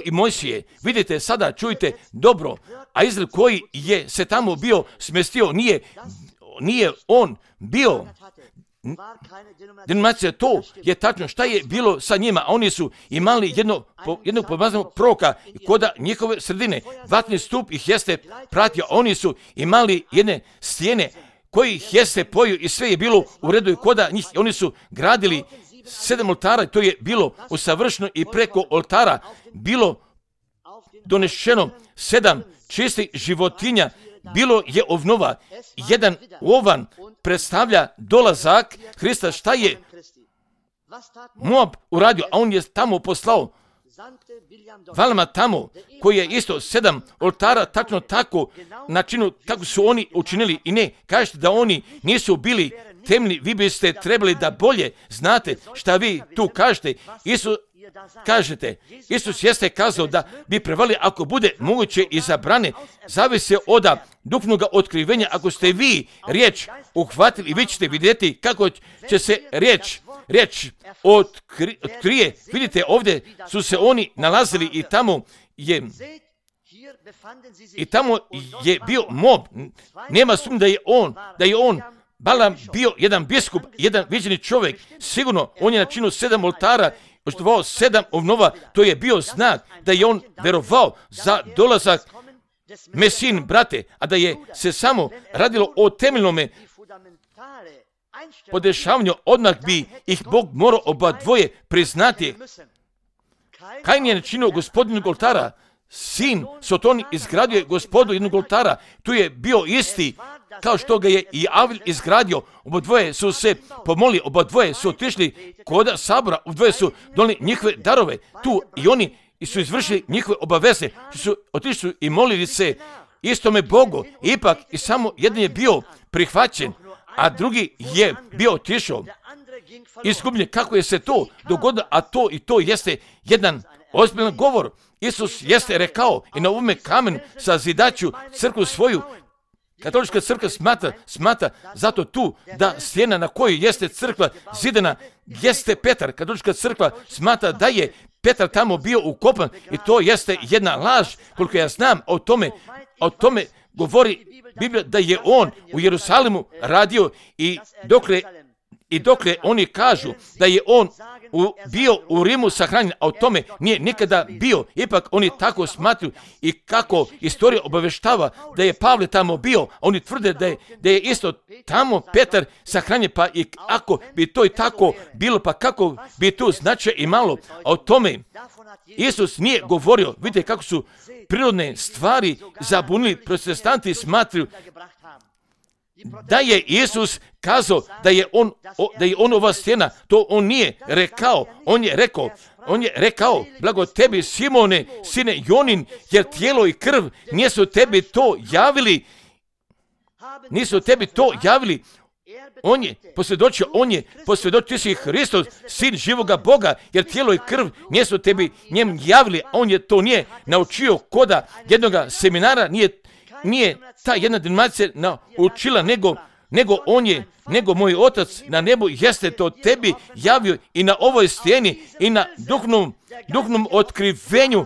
i Mojsije. Vidite, sada čujte dobro, a Izrael koji je se tamo bio smjestio, nije on bio denominacija, to je tačno šta je bilo sa njima, a oni su imali jednog pomazanog proroka koda njihove sredine, vatni stup ih jeste pratio, oni su imali jedne stijene koji ih jeste poju i sve je bilo u redu i koda njih, oni su gradili 7 oltara, to je bilo usavršeno i preko oltara bilo donešeno 7 čistih životinja, bilo je ovnova. Jedan ovan predstavlja dolazak Hrista. Šta je Moab uradio? A on je tamo poslao Valama tamo, koji je isto 7 oltara, tačno tako načinu kako su oni učinili. I ne, kažete da oni nisu bili temni, vi biste trebali da bolje znate šta vi tu kažete. Isus jeste kazao da bi prevali ako bude moguće i zabrane, zavise od duhovnog otkrivenja. Ako ste vi riječ uhvatili, vi ćete vidjeti kako će se riječ otkrije. Vidite, ovdje su se oni nalazili i tamo je bio Moab. Nema sumnje da je on Balam bio jedan biskup, jedan viđeni čovjek. Sigurno on je načinio 7 oltara, oštovao 7 ovnova. To je bio znak da je on verovao za dolazak Mesin, brate, a da je se samo radilo o temeljnome podešavanju, odmah bi ih Bog morao oba dvoje priznati. Kain je načinio gospodinog oltara, sin Soton izgradio je Gospodu jednog oltara. Tu je bio isti kao što ga je i Avil izgradio. Obodvoje su se pomolili, obodvoje su otišli kod sabora, obodvoje su donijeli njihove darove tu i oni i su izvršili njihove obaveze, su otišli i molili se istome Bogu. Ipak i samo jedan je bio prihvaćen, a drugi je bio otišao izgubljen. Kako je se to dogodilo? A to i to jeste jedan ozbiljan govor. Isus jeste rekao i na ovome kamenu sazidaću crkvu svoju. Katolička crkva smatra zato tu da stijena na kojoj jeste crkva zidana jeste Petar. Katolička crkva smatra da je Petar tamo bio ukopan i to jeste jedna laž. Koliko ja znam o tome govori Biblija da je on u Jerusalimu radio i dokle oni kažu da je on bio u Rimu sahranjen, a o tome nije nikada bio. Ipak oni tako smatruju i kako istorija obaveštava da je Pavle tamo bio, oni tvrde da je isto tamo Petar sahranjen, pa i ako bi to i tako bilo, pa kako bi tu značaj imalo, a o tome Isus nije govorio. Vidite kako su prirodne stvari zabunili. Protestanti smatruju da je Isus kazao da je on ova stijena. To on nije rekao. On je rekao, blago tebi Simone, sine Jonin, jer tijelo i krv nisu tebi to javili. On je posvjedočio, ti si Hristos, sin živoga Boga, jer tijelo i krv nisu tebi njem javili. On je to nije naučio koda jednoga seminara, nije ta jedna denominacija naučila, nego moj Otac na nebu jeste to tebi javio i na ovoj stijeni i na duhovnom otkrivenju,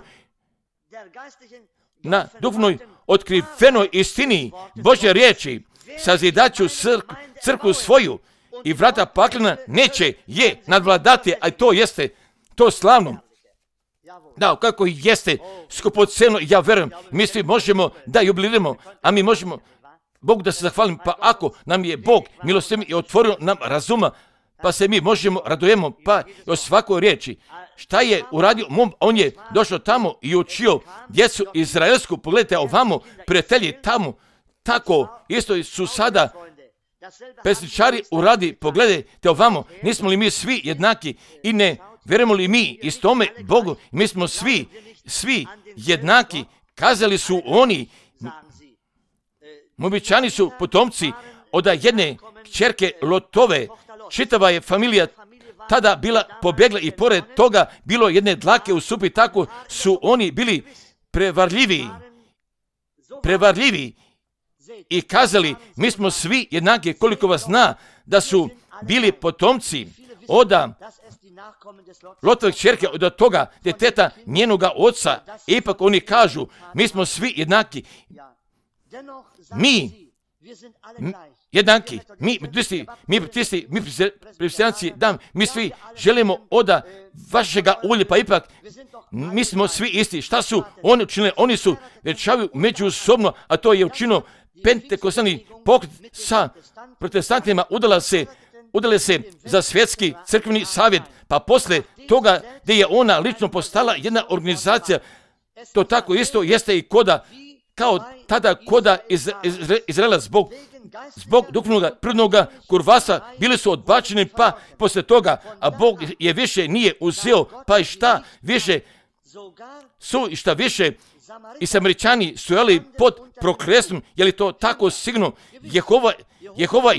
na duhovnoj otkrivenoj istini Božje riječi sazidaću crkvu svoju i vrata paklena neće je nadvladati, a to jeste to slavno. Da, kako jeste skupoceno, ja verujem, mi svi možemo da jubiliramo, a mi možemo Bogu da se zahvalim, pa ako nam je Bog milostiv i otvorio nam razuma, pa se mi možemo radujemo, pa o svakoj riječi. Šta je uradio? On je došao tamo i učio djecu izraelsku. Pogledajte ovamo, prijatelji tamo, tako isto su sada pesničari uradi. Pogledajte ovamo, nismo li mi svi jednaki i ne vjerujemo li mi istome Bogu? Mi smo svi jednaki. Kazali su oni, Moabičani su potomci od jedne kćerke Lotove. Čitava je familija tada bila pobjegla i pored toga bilo jedne dlake u supi, tako su oni bili prevarljivi i kazali, mi smo svi jednaki. Koliko vas zna da su bili potomci od Lotove kćerke, od toga djeteta njenoga oca. Ipak oni kažu, mi smo svi jednaki. Mi svi želimo od vašega ulja, pa ipak mi smo svi isti. Šta su oni učinili? Oni su večavaju međusobno, a to je učinio pentekostalni pokret sa protestantima, udale se za svjetski crkveni savjet, pa posle toga gdje je ona lično postala jedna organizacija, to tako isto jeste i kao tada koda Izraela zbog duhovnog prirodnog kurvasa bili su odbačeni, pa poslije toga, a Bog je više nije uzeo, pa i šta više i Samaričani stojali pod prokletstvom. Je li to tako sigurno? Jehova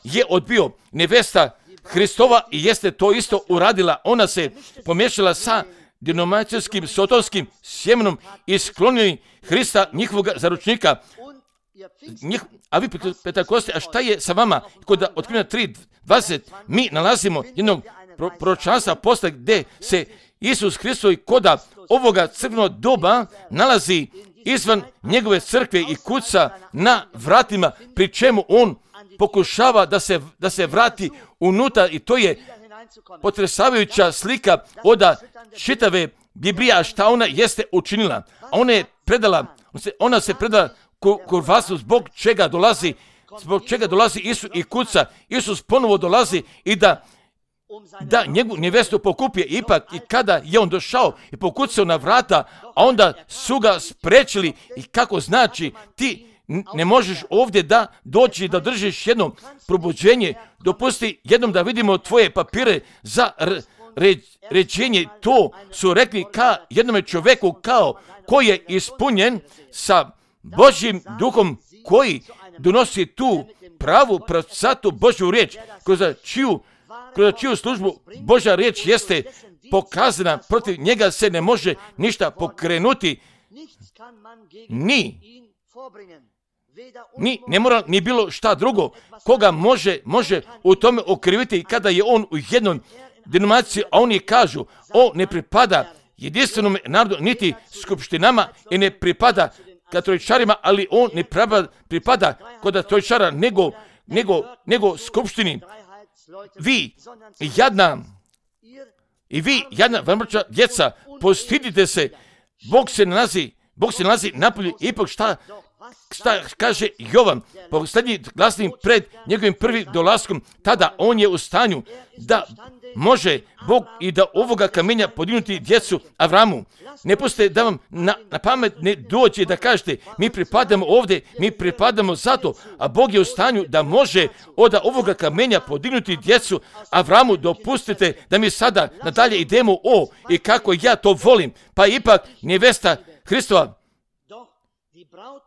je odbio nevesta Hristova i jeste to isto uradila. Ona se pomiješala sa denominacijskim sotonskim sjemenom i sklonili Hrista, njihovog zaručnika. A vi Pentakoste, a šta je sa vama? Kod Otkrivenja 3:20 mi nalazimo jednog proročanstva posle gdje se Isus Hristos koda ovoga crkvenog doba nalazi izvan njegove crkve i kuca na vratima, pri čemu on pokušava da se vrati unutra, i to je potresavajuća slika od čitave Biblije, a šta ona jeste učinila. Ona se predala kurvasu, zbog čega dolazi Isus i kuca. Isus ponovo dolazi i da njegovu nevestu pokupije. Ipak i kada je on došao i pokucao na vrata, a onda su ga sprečili. I kako znači, ti ne možeš ovdje da doći da držiš jedno probuđenje, dopusti jednom da vidimo tvoje papire ređenje, to su rekli ka jednome čovjeku kao koji je ispunjen sa Božjim duhom, koji donosi tu pravu pravcatu Božju riječ, kroz čiju službu Božja riječ jeste pokazana, protiv njega se ne može ništa pokrenuti, ne mora ni bilo šta drugo, koga može u tome okriviti kada je on u jednoj denominaciji, a oni kažu, ne pripada jedinstvenom narodu, niti skupštinama i ne pripada katoličarima, ali on ne pripada kod katoličara nego skupštini. Vi jadna vrmrča djeca, postidite se, Bog se nalazi napolju. Ipak šta kaže Jovan, posljednji glasnik pred njegovim prvim dolaskom, tada on je u stanju da može Bog i da ovoga kamenja podignuti djecu Avramu. Ne pustite da vam na pamet ne dođe da kažete, mi pripadamo ovdje, mi pripadamo zato, a Bog je u stanju da može od ovoga kamenja podignuti djecu Avramu. Dopustite da mi sada nadalje idemo i kako ja to volim, pa ipak nevesta Hristova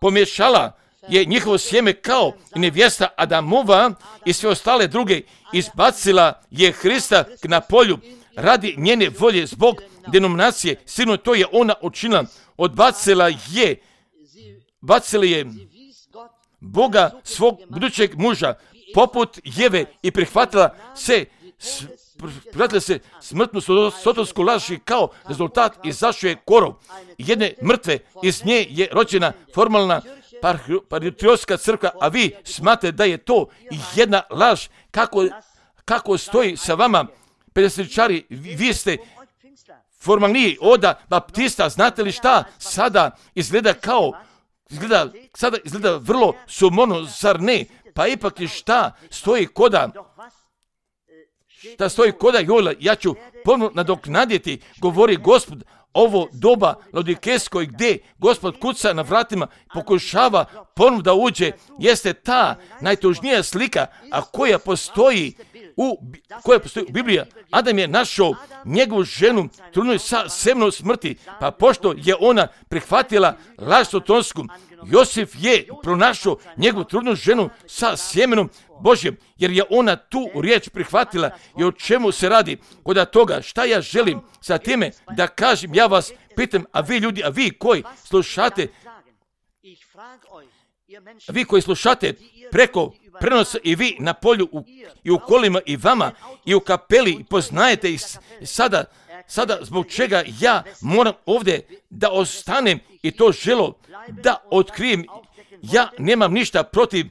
pomiješala je njihovo sjeme kao i nevjesta Adamova i sve ostale druge, izbacila je Hrista na polju radi njene volje zbog denominacije. Sigurno to je ona učinila. Odbacila je Boga, svog budućeg muža, poput Jeve, i prihvatila se smrtnu sotonsku laž i kao rezultat izašao je korov jedne mrtve. Iz nje je rođena formalna patriotska crkva, a vi smatrate da je to jedna laž. Kako stoji sa vama, pedesetičari? Vi ste formalniji od baptista. Znate li šta sada izgleda izgleda vrlo sumorno, zar ne? Pa ipak je šta stoji koda Jola, ja ću ponovno nadoknaditi, govori Gospod, ovo doba Laodikejsko, gdje Gospod kuca na vratima, pokušava ponovno da uđe, jeste ta najtužnija slika, a koja postoji u Bibliji. Adam je našao njegovu ženu trudnu sa semenom smrti, pa pošto je ona prihvatila laž sotonsku, Josif je pronašao njegovu trudnu ženu sa sjemenom Božjem, jer je ona tu riječ prihvatila. I o čemu se radi? Kod toga, šta ja želim sa time da kažem, ja vas pitam, a vi ljudi, a vi koji slušate preko prenosa, i vi na polju i u kolima i vama i u kapeli, poznajete ih sada zbog čega ja moram ovdje da ostanem i to želo da otkrijem. Ja nemam ništa protiv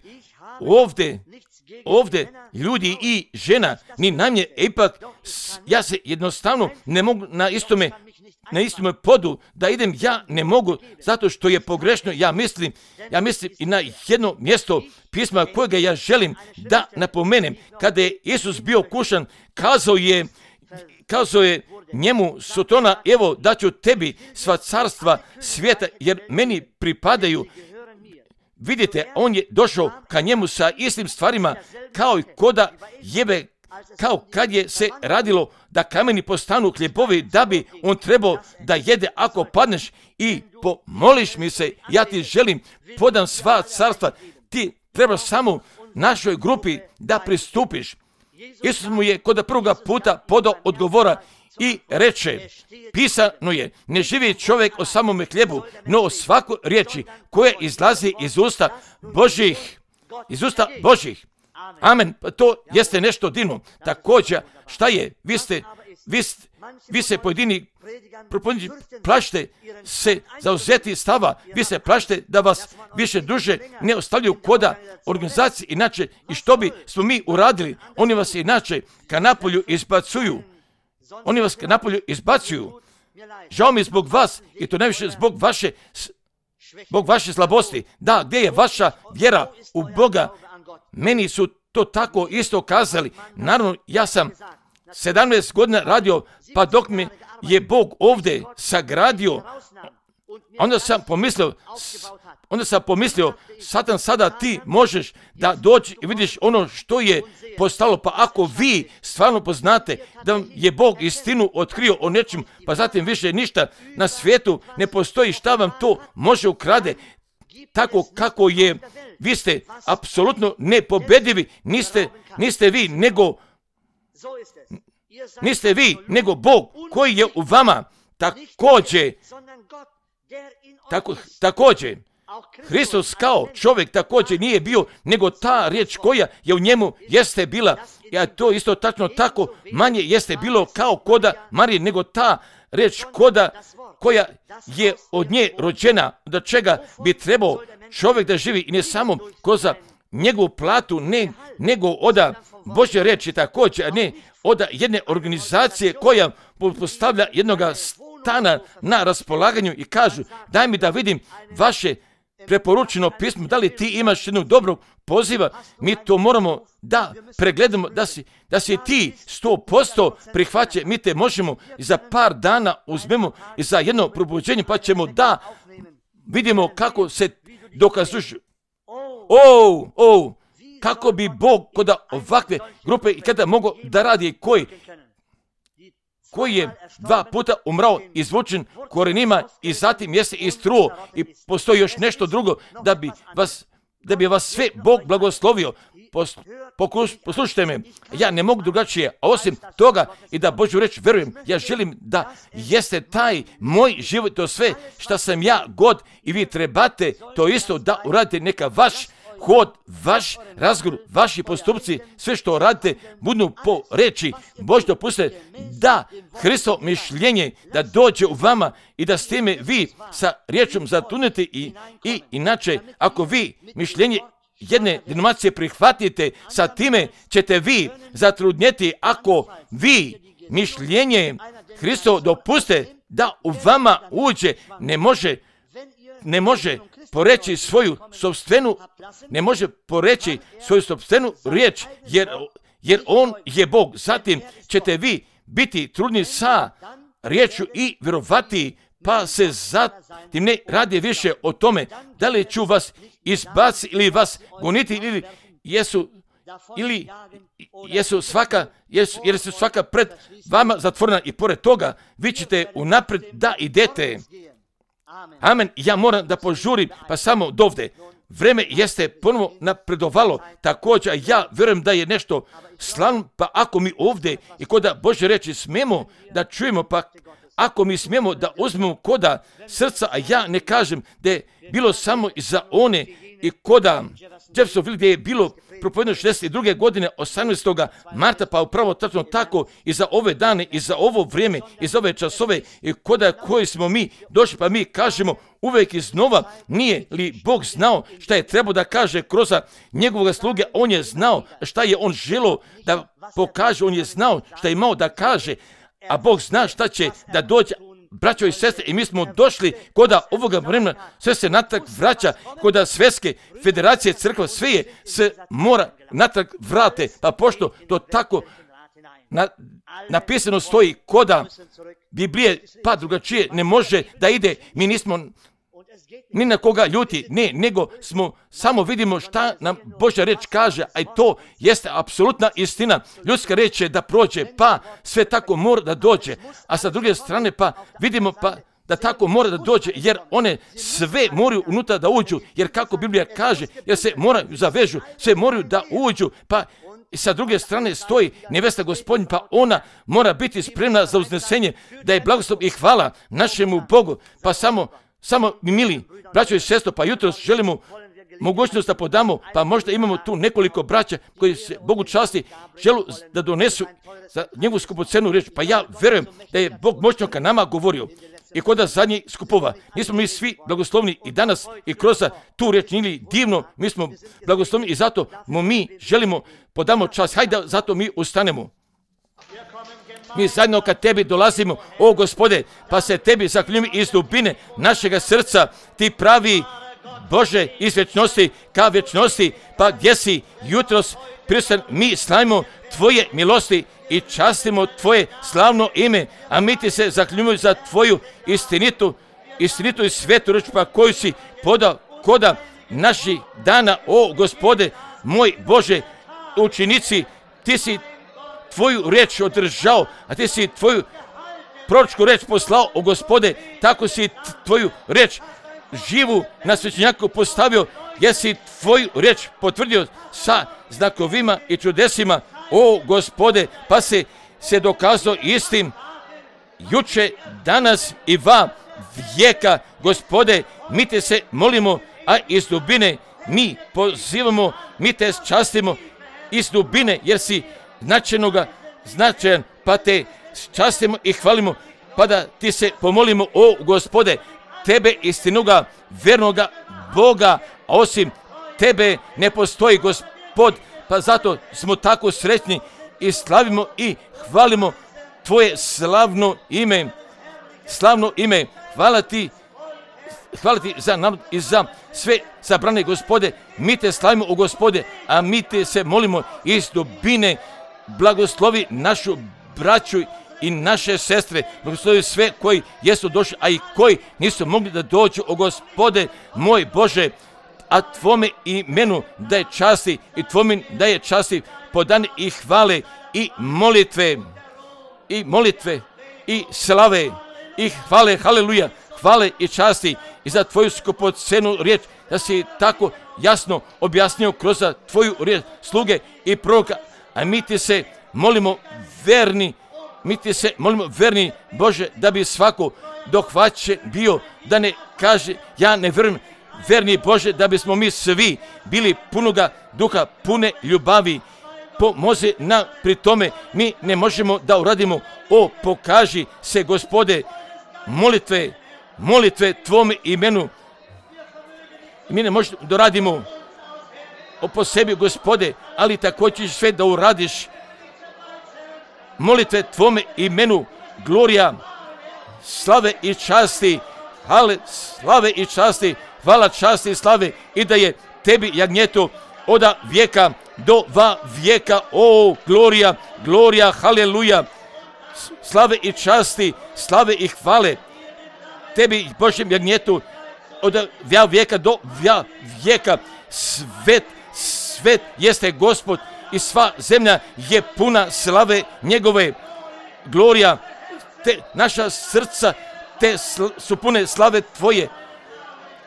ovdje ljudi i žena, ni najmanje, ipak ja se jednostavno ne mogu na istome podu da idem, ja ne mogu, zato što je pogrešno. Ja mislim i na jedno mjesto pisma kojega ja želim da napomenem. Kada je Isus bio kušan, kazao je njemu Sotona, evo daću tebi sva carstva svijeta, jer meni pripadaju. Vidite, on je došao ka njemu sa istim stvarima kao i koda Jebe, kao kad je se radilo da kameni postanu hljebovi, da bi on trebao da jede. Ako padneš i pomoliš mi se, ja ti želim, podam sva carstva. Ti treba samo našoj grupi da pristupiš. Isus mu je kod prvoga puta podao odgovora i reče, pisano je, ne živi čovjek o samome hljebu, no o svakoj riječi koja izlazi iz usta Božih. Amen. To jeste nešto divno. Također, šta je? Vi se pojedini plašite se zauzeti stava, vi se plašite da vas više duže ne ostavljaju koda organizacije, inače, i što bi smo mi uradili? Oni vas inače ka napolju izbacuju. Žao mi zbog vas, i to najviše zbog vaše slabosti. Da, gdje je vaša vjera u Boga? Meni su to tako isto kazali. Naravno, ja sam 17 godina radio, pa dok me je Bog ovdje sagradio, onda sam pomislio, onda sam pomislio, Satan, sada ti možeš da dođi i vidiš ono što je postalo, pa ako vi stvarno poznate da vam je Bog istinu otkrio o nečem, pa zatim više ništa na svijetu ne postoji šta vam to može ukrade, tako kako je, vi ste apsolutno nepobedivi, niste vi, nego Bog koji je u vama. Također, Hristos kao čovjek također nije bio, nego ta riječ koja je u njemu jeste bila, a to isto tačno tako manje jeste bilo kao koda Marije, nego ta riječ koja je od nje rođena, do čega bi trebao čovjek da živi i ne samo kroz njegovu platu, nego od Božje riječi također, a ne od jedne organizacije koja postavlja jednoga stana na raspolaganju i kažu, daj mi da vidim vaše preporučeno pismo, da li ti imaš jednog dobrog poziva, mi to moramo da pregledamo, da si ti 100% prihvaće, mi te možemo i za par dana uzmemo i za jedno probuđenje, pa ćemo da vidimo kako se dokazuješ. Kako bi Bog kod ovakve grupe i kada mogu da radi koji je 2 puta umrao, izvučen korenima i zatim jeste istruo i postoji još nešto drugo da bi vas sve Bog blagoslovio. Poslušajte me, ja ne mogu drugačije, a osim toga i da Božju reč verujem, ja želim da jeste taj moj život, to sve što sam ja god i vi trebate to isto da uradite, neka vaš hod, vaš razgovor, vaši postupci, sve što radite, budu po reči Bož dopuste da Hristovo mišljenje da dođe u vama i da s time vi sa riječom zatunete i inače, ako vi mišljenje jedne denominacije prihvatite, sa time ćete vi zatrudnjeti ako vi mišljenje Hristovo dopuste da u vama uđe, ne može poreći svoju sopstvenu riječ, jer on je Bog. Zatim ćete vi biti trudni sa riječju i vjerovati, pa se zatim ne radi više o tome da li ću vas izbaciti ili vas goniti jer su svaka pred vama zatvorena i pored toga vi ćete unaprijed da idete. Amen. Ja moram da požurim, pa samo dovde. Vreme jeste ponovo napredovalo, također ja vjerujem da je nešto slavno, pa ako mi ovdje i koda Božje reči smemo da čujemo, pa ako mi smijemo da uzmemo koda srca, a ja ne kažem da je bilo samo za one i koda Jeffersonville gdje je bilo propovedeno 62. godine 18. marta, pa upravo tačno tako i za ove dane i za ovo vrijeme i za ove časove i koda koji smo mi došli, pa mi kažemo uvijek iznova, nije li Bog znao šta je trebao da kaže kroz njegovog sluge, on je znao šta je on želio da pokaže, on je znao šta je imao da kaže, a Bog zna šta će da dođe. Braćo i sestre, i mi smo došli koda ovoga vremena, sve se natrag vraća, koda svjetske federacije crkva, sve se mora natrag vrate, pa pošto to tako napisano stoji koda Biblije, pa drugačije ne može da ide, mi nismo ni na koga ljuti, ne, nego samo vidimo šta nam Božja reč kaže, a i to jeste apsolutna istina. Ljudska reč je da prođe, pa sve tako mora da dođe, a sa druge strane pa vidimo pa da tako mora da dođe, jer one sve moraju unutra da uđu, jer kako Biblija kaže, jer se moraju zavežu, sve moraju da uđu, pa i sa druge strane stoji nevesta Gospodnja, pa ona mora biti spremna za uznesenje, da je blagoslov i hvala našemu Bogu, pa samo mi mili braćo i sestro, pa jutros želimo mogućnost da podamo, pa možda imamo tu nekoliko braća koji se Bogu časti, želu da donesu za njegovu skupocenu riječ, pa ja vjerujem da je Bog moćno ka nama govorio i kod zadnjih skupova. Nismo mi svi blagoslovni i danas i kroz tu riječ ili divno, mi smo blagoslovni i zato mi želimo podamo čast, hajde zato mi ustanemo. Mi zajedno kad tebi dolazimo, o Gospode, pa se tebi zahvaljujemo iz dubine našega srca, ti pravi Bože iz vječnosti ka vječnosti, pa gdje si jutros prisutan, mi slavimo tvoje milosti i častimo tvoje slavno ime, a mi ti se zahvaljujemo za tvoju istinitu i svetu reč, pa koju si podao koda naših dana, o Gospode, moj Bože, učenici, ti si tvoju riječ održao, a ti si tvoju proročku riječ poslao, o Gospode, tako si tvoju riječ živu na svećenjaku postavio, jer si tvoju riječ potvrdio sa znakovima i čudesima, o Gospode, pa se dokazao istim juče, danas i va vijeka. Gospode, mi te se molimo, a iz dubine mi pozivamo, mi te častimo iz dubine, jer si značajan, pa te častimo i hvalimo, pa da ti se pomolimo, o Gospode, tebe istinoga, vernoga Boga, a osim tebe ne postoji, Gospod, pa zato smo tako sretni i slavimo i hvalimo tvoje slavno ime. Hvala ti za narod i za sve sabrane, Gospode, mi te slavimo, o Gospode, a mi te se molimo iz dubine, blagoslovi našu braću i naše sestre, blagoslovi sve koji jesu došli, a i koji nisu mogli da dođu, o Gospode, moj Bože, a tvome imenu da je časti i tvome da je časti podane i hvale i molitve i slave i hvale, haleluja, hvale i časti i za tvoju skupocenu riječ, da si tako jasno objasnio kroz tvoju riječ sluge i proroka, a mi ti se molimo verni, Bože, da bi svako dohvaćen bio, da ne kaže ja ne vjerujem, verni Bože, da bismo mi svi bili punoga duha, pune ljubavi. Pomozi nam pri tome, mi ne možemo da uradimo, o pokaži se, Gospode, molitve tvome imenu. Mi ne možemo da radimo po sebi, Gospode, ali također sve da uradiš. Molitve tvome imenu, glorija, slave i časti, slave i časti, hvala, časti i slave, i da je tebi jagnjeto od vijeka do va vijeka, o glorija, haleluja, slave i časti, slave i hvale tebi, Božjem jagnjetu, od vijeka do vijeka. Svet jeste Gospod i sva zemlja je puna slave njegove. Glorija, naša srca su pune slave tvoje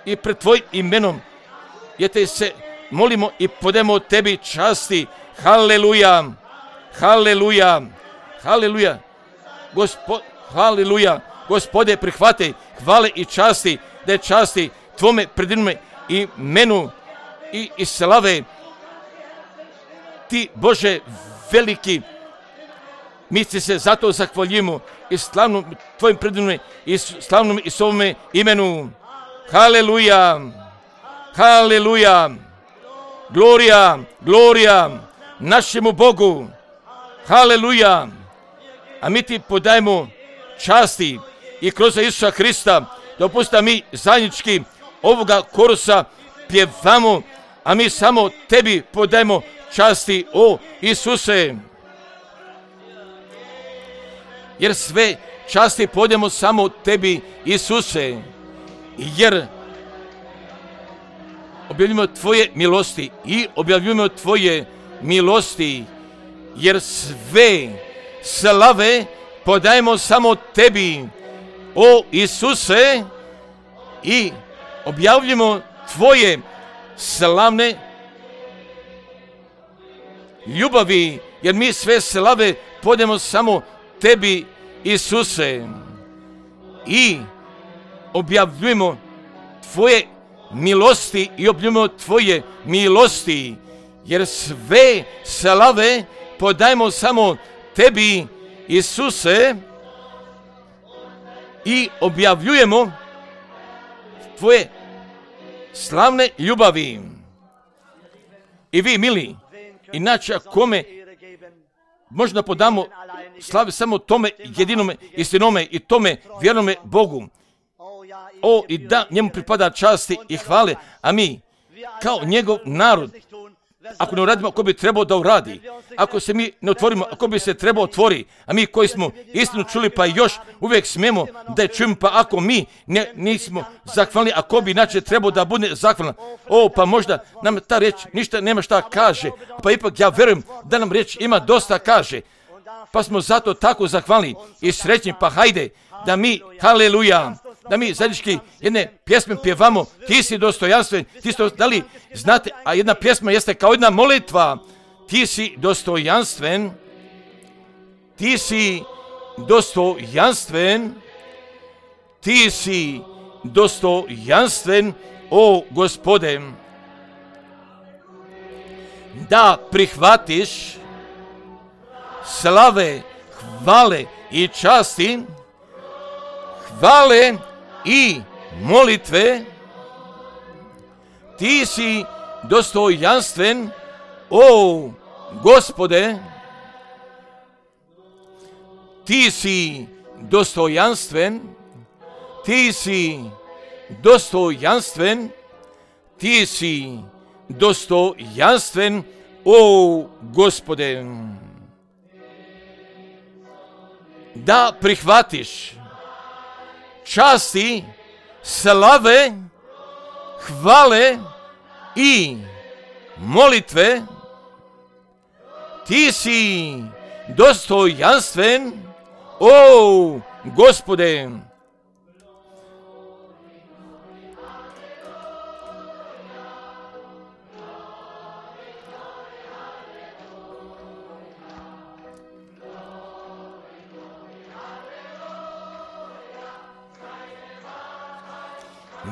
i pred tvojim imenom je te se molimo i podemo tebi časti. Haleluja, haleluja, haleluja, haleluja. Gospode, prihvate hvale i časti, da je časti tvome predivnome imenu i slave. Ti, Bože, veliki, mi se zato zahvaljujemo i slavnom tvojim predivnome i slavnom i svome imenu. Haleluja, haleluja, glorija našemu Bogu. Haleluja. A mi ti podajemo časti i kroz Isusa Hrista, dopusta mi zajednički ovoga korusa pjevamo, a mi samo tebi podajemo časti, o Isuse. Jer sve časti podajemo samo tebi, Isuse. Jer objavljujemo tvoje milosti i objavljujemo tvoje milosti. Jer sve slave podajemo samo tebi, o Isuse, i objavljujemo tvoje slavne ljubavi, jer mi sve slave podajemo samo tebi, Isuse, i objavljujemo tvoje milosti i objavljujemo tvoje milosti, jer sve slave podajemo samo tebi, Isuse, i objavljujemo tvoje slavne ljubavi. I vi, mili, inače kome možda podamo slave samo tome jedinome istinome i tome vjernome Bogu. I da njemu pripada časti i hvale, a mi kao njegov narod ako ne uradimo, ako bi trebao da uradi, ako se mi ne otvorimo, ako bi se trebao otvori, a mi koji smo istinu čuli pa još uvijek smijemo da je čujemo, pa ako mi nismo zahvalni, ako bi inače trebao da bude zahvalan, pa možda nam ta riječ ništa nema šta kaže, pa ipak ja vjerujem da nam riječ ima dosta kaže, pa smo zato tako zahvalni i srećni, pa hajde da mi, haleluja, da mi zajednički jedne pjesme pjevamo, ti si dostojanstven, da li znate, a jedna pjesma jeste kao jedna molitva, ti si dostojanstven, ti si dostojanstven, ti si dostojanstven, o Gospode, da prihvatiš slave, hvale i časti, hvale i molitve, ti si dostojanstven, o Gospode, ti si dostojanstven, ti si dostojanstven, ti si dostojanstven, o Gospode. Da prihvatiš časti, slave, hvale i molitve, ti si dostojanstven, o Gospode.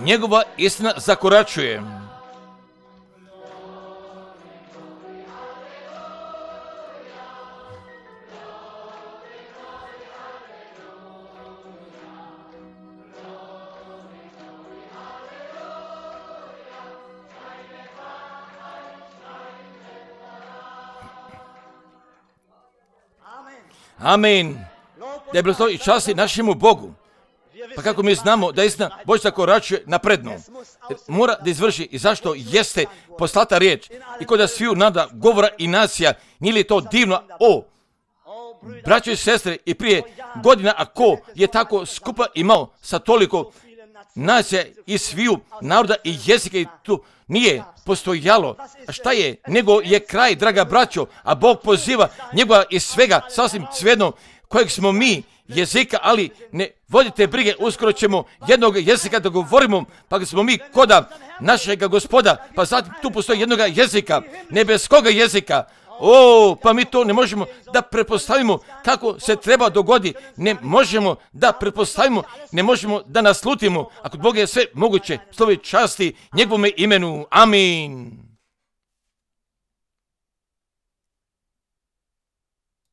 Njegova istina zakoračuje. Amen. Da je bilo i časti našemu Bogu. Pa kako mi znamo da istina Božja koračuje napredno, mora da izvrši i zašto jeste poslata riječ i kod da sviju nada govora i nacija, nije li to divno, braćo i sestre, i prije godina, a ko je tako skupa imao sa toliko nacija i sviju naroda i jezika i tu nije postojalo. A šta je? Nego je kraj, draga braćo, a Bog poziva njegova iz svega, sasvim svejedno, kojeg smo mi jezika, ali ne vodite brige, uskoro ćemo jednog jezika da govorimo, pa smo mi koda našega Gospoda, pa zatim tu postoji jednog jezika, nebeskoga jezika. Pa mi to ne možemo da pretpostavimo kako se treba dogodi, ne možemo da pretpostavimo, ne možemo da naslutimo, a kod Boga je sve moguće, slovi časti njegovome imenu. Amin.